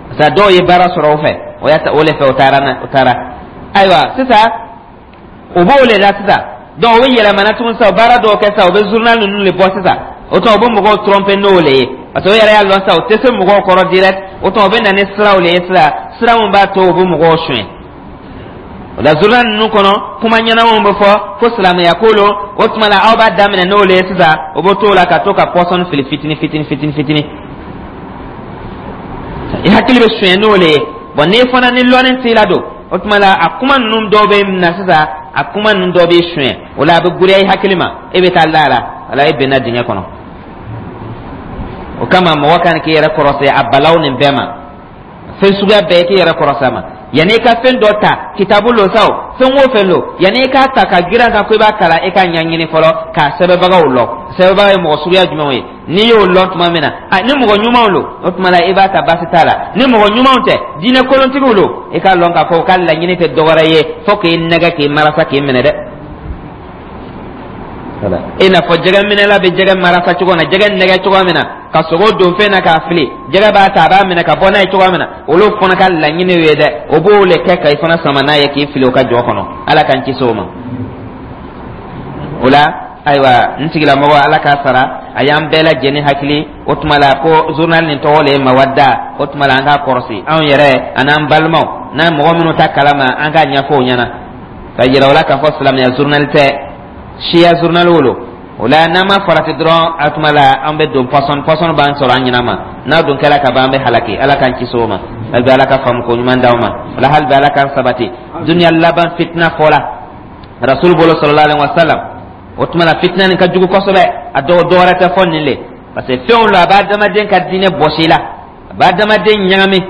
parce que dɔw ye baara sɔrɔ o fɛ, o y'a o le fɛ o taara na o taara. Ayiwa, sisan o b'o le la sisan. Donc o bɛ yɛlɛmana tuguni sisan, baara dɔw kɛ sisan, o bɛ journal ninnu de bɔ sisan. O tuma o bɛ mɔgɔw tromper n'o le ye, parce que o yɛrɛ y'a lɔn sisan o tɛ se mɔgɔw kɔrɔ direct. O tuma o bɛ na ni siraw le ye sisan, sira min b'a to o bɛ mɔgɔw suɲɛ. O la, journal ninnu kɔnɔ, kuma ɲɛnamaw bɛ fɔ ko silamɛya ko lo. O tuma la, aw b'a daminɛ n'o le ye sisan, o bɛ t'o la ka to ka poison fili fitini fitini fitini fitini, i hakili bɛ suɲɛ n'o le ye. Bon, n'i fana ni lɔnni t'i la don, o tuma la a kuma ninnu dɔw bɛ na sisan, a kuma ninnu dɔw bɛ suɲɛ, o la a bɛ giriya i hakili ma, e bɛ taa la la, wala e benna dingɛ kɔnɔ. O kama mɔgɔ kan k'i yɛrɛ kɔrɔsi a balaw nin bɛɛ ma, fɛn suguya bɛɛ k'i yɛrɛ kɔrɔsi a ma. Yanni i ka fɛn dɔ ta, kitabu lo sa o, fɛn o fɛn lo, yanni i k'a ta ka girin kan ko i b'a kalan, i ka ɲɛɲini fɔlɔ k'a sɛbɛnbagaw lɔn, sɛbɛnbaga ye mɔgɔ suguya jumɛnw ye. N'i y'o lɔn tuma min na, a ni mɔgɔ ɲumanw lo, o tuma la i b'a ta, baasi t'a la. Ni mɔgɔ ɲumanw tɛ, diinɛ kolontigiw lo, i k'a lɔn k'a fɔ u ka laɲini tɛ dɔwɛrɛ ye fo k'i nɛgɛ, k'i marasa, k'i minɛ dɛ. I n'a fɔ jɛgɛ minɛla bɛ jɛgɛ marasa cogo min na, jɛgɛ nɛgɛ cogo min na, ka sogo don fɛn na k'a fili, jɛgɛ b'a ta, a b'a minɛ ka bɔ n'a ye cogo min na, olu fana ka laɲini ye dɛ, o b'o le kɛ ka i fana sama n'a ye k'i fili o ka jɔ kɔnɔ. Ala k'an kisi o ma. O la, ayiwa, n tigilamɔgɔ, Ala k'a sara, a y'an bɛɛ lajɛlen hakili. O tuma la ko journal nin tɔgɔ le ye Mawadda. O tuma la an k'a kɔrɔsi anw yɛrɛ an'an balimaw n'an mɔgɔ minnu ta kalama, an k'a ɲɛfɔ o ɲɛna ka yira o la k'a fɔ silamɛya journal tɛ, siya journal lo. O la, n'an ma farati dɔrɔn, a tuma la an bɛ don poison, poison b'an sɔrɔ an ɲɛna ma. N'a dun kɛra ka ban, an bɛ halaki. Ala k'an kisi o ma. Hali bi, Ala ka faamu ko ɲuman d'aw ma. Wala hali bi, Ala k'an sabati. Duniya laban fitina fɔla Rasul bolo, sallallahu alaihi wasallam. O tuma na, fitina nin ka jugu kosɛbɛ. A dɔw dɔwɛrɛ tɛ fɔ nin le, parce que fɛnw la, a b'a adamaden ka diinɛ bɔsi la, a b'a adamaden ɲagami.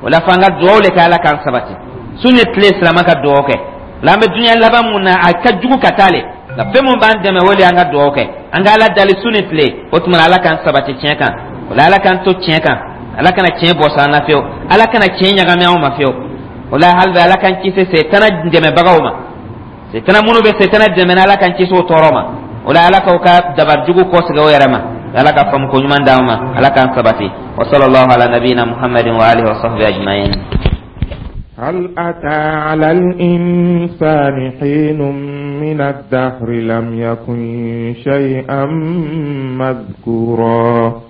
O la, f'an ka dugawu le kɛ, Ala k'an sabati. Su ni tile, silama ka dugawu kɛ la. An bɛ duniya laban mun na, a ka jugu ka taa le, nka fɛn mun b'an dɛmɛ, o le y'an ka dugawu kɛ, an ka Ala dali su ni tile. O tuma na, Ala k'an sabati tiɲɛ kan. O la, Ala k'an to tiɲɛ kan, Ala kana tiɲɛ bɔsɔ an na fiyewu, Ala kana tiɲɛ ɲagami anw ma fiyewu. O la, hali bi, Ala k'an kisi setana dɛmɛbagaw ma, setana minnu bɛ setana dɛmɛ, Ala k'an kisi o tɔɔrɔ ma. O la, Ala k'aw ka dabari jugu kɔsegin o yɛrɛ ma. Ala ka faamu ko ɲuman d'an ma, Ala k'an sabati. Wa sallallahu ala nabiyina Muhammadin wa alihi wa sahbihi ajma'in. هل أتى على الإنسان حين من الدهر لم يكن شيئا مذكورا؟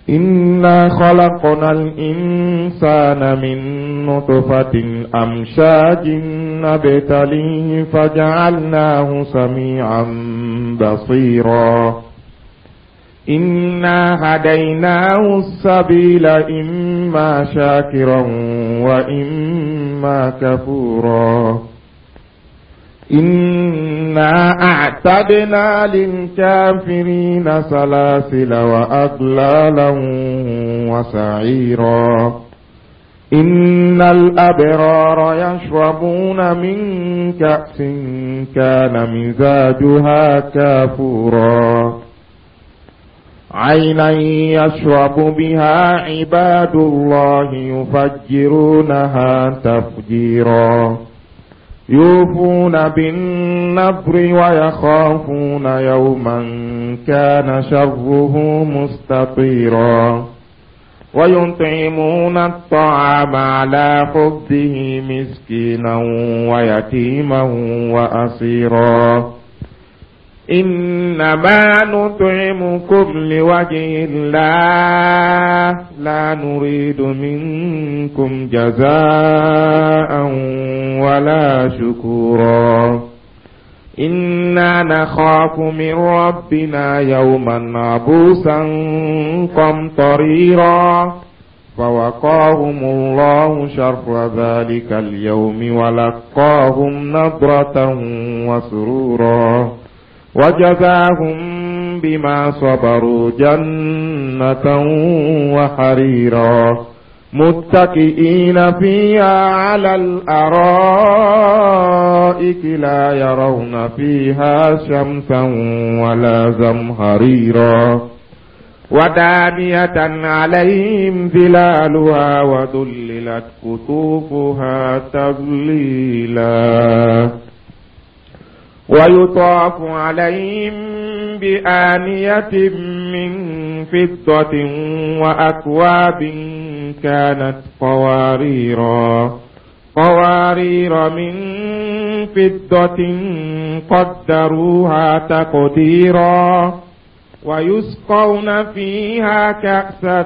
إنا خلقنا الإنسان من نطفة أمشاج نبتليه فجعلناه سميعا بصيرا. إنا هديناه السبيل إما شاكرا وإما كفورا. إنا أعتدنا للكافرين سلاسل وأغلالا وسعيرا. إن الأبرار يشربون من كأس كان مزاجها كافورا. عينا يشرب بها عباد الله يفجرونها تفجيرا. يوفون بالنذر ويخافون يوما كان شره مستطيرا. ويطعمون الطعام على حبه مسكينا ويتيما وأسيرا. إنما نطعمكم لوجه الله لا نريد منكم جزاء ولا شكورا. إنا نخاف من ربنا يوما عبوسا قمطريرا. فوقاهم الله شر ذلك اليوم ولقاهم نضرة وسرورا. وجزاهم بما صبروا جنة وحريرا. متكئين فيها على الأرائك لا يرون فيها شمسا ولا زمهريرا. ودانية عليهم ظلالها وذللت قطوفها تذليلا. ويطاف عليهم بآنية من فضة وأكواب كانت قواريرا، قوارير من فضة قدروها تقديرا. ويسقون فيها كأسا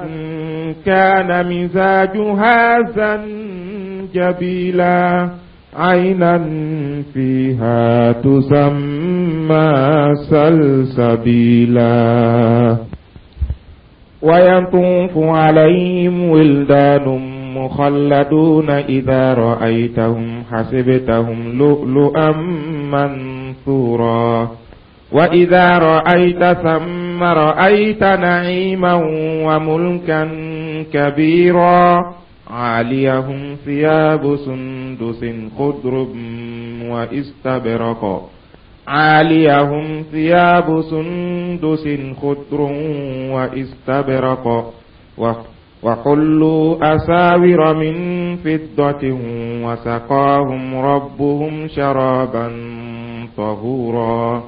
كان مزاجها زنجبيلا. عينا فيها تسمى سلسبيلا. ويطوف عليهم ولدان مخلدون إذا رأيتهم حسبتهم لؤلؤا منثورا. وإذا رأيت ثم رأيت نعيما وملكا كبيرا. عاليهم ثياب سندس خضر واستبرق. عاليهم ثياب سندس خضر واستبرق. وحلوا أساور من فضة وسقاهم ربهم شرابا طهورا.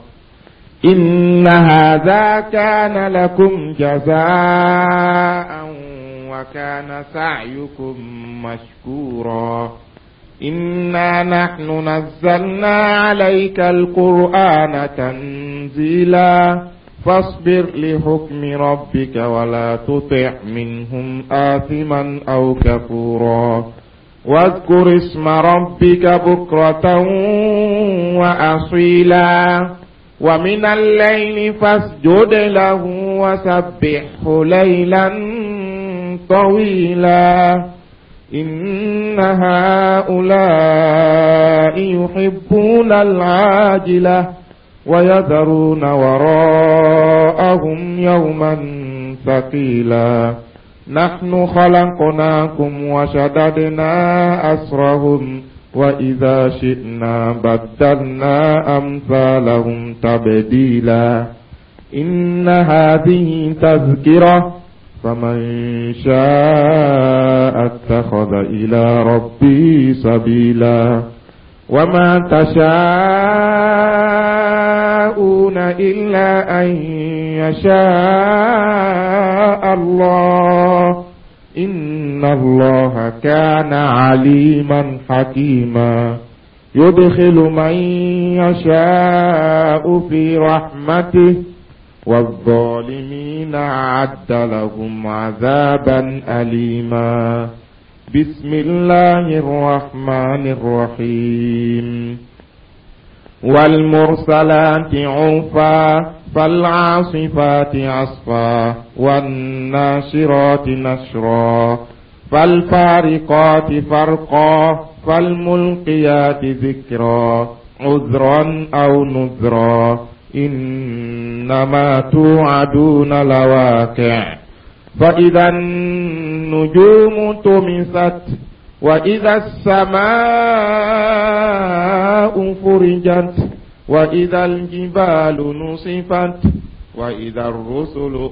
إن هذا كان لكم جزاء وكان سعيكم مشكورا. إنا نحن نزلنا عليك القرآن تنزيلا. فاصبر لحكم ربك ولا تطع منهم آثما أو كفورا. واذكر اسم ربك بكرة وأصيلا. ومن الليل فاسجد له وسبحه ليلا طويلا. إن هؤلاء يحبون العاجلة ويذرون وراءهم يوما ثقيلا. نحن خلقناكم وشددنا أسرهم، وإذا شئنا بدلنا أمثالهم تبديلا. إن هذه تذكرة، فمن شاء اتخذ إلى ربه سبيلا. وما تشاءون إلا أن يشاء الله، إن الله كان عليما حكيما. يدخل من يشاء في رحمته، والظالمين أعد لهم عذابا أليما. بسم الله الرحمن الرحيم. والمرسلات عرفا، فالعاصفات عصفا، والناشرات نشرا، فالفارقات فرقا، فالملقيات ذكرا، عذرا أو نذرا، إنما توعدون لواقع. فإذا النجوم طمست، وإذا السماء فرجت، وإذا الجبال نصفت، وإذا الرسل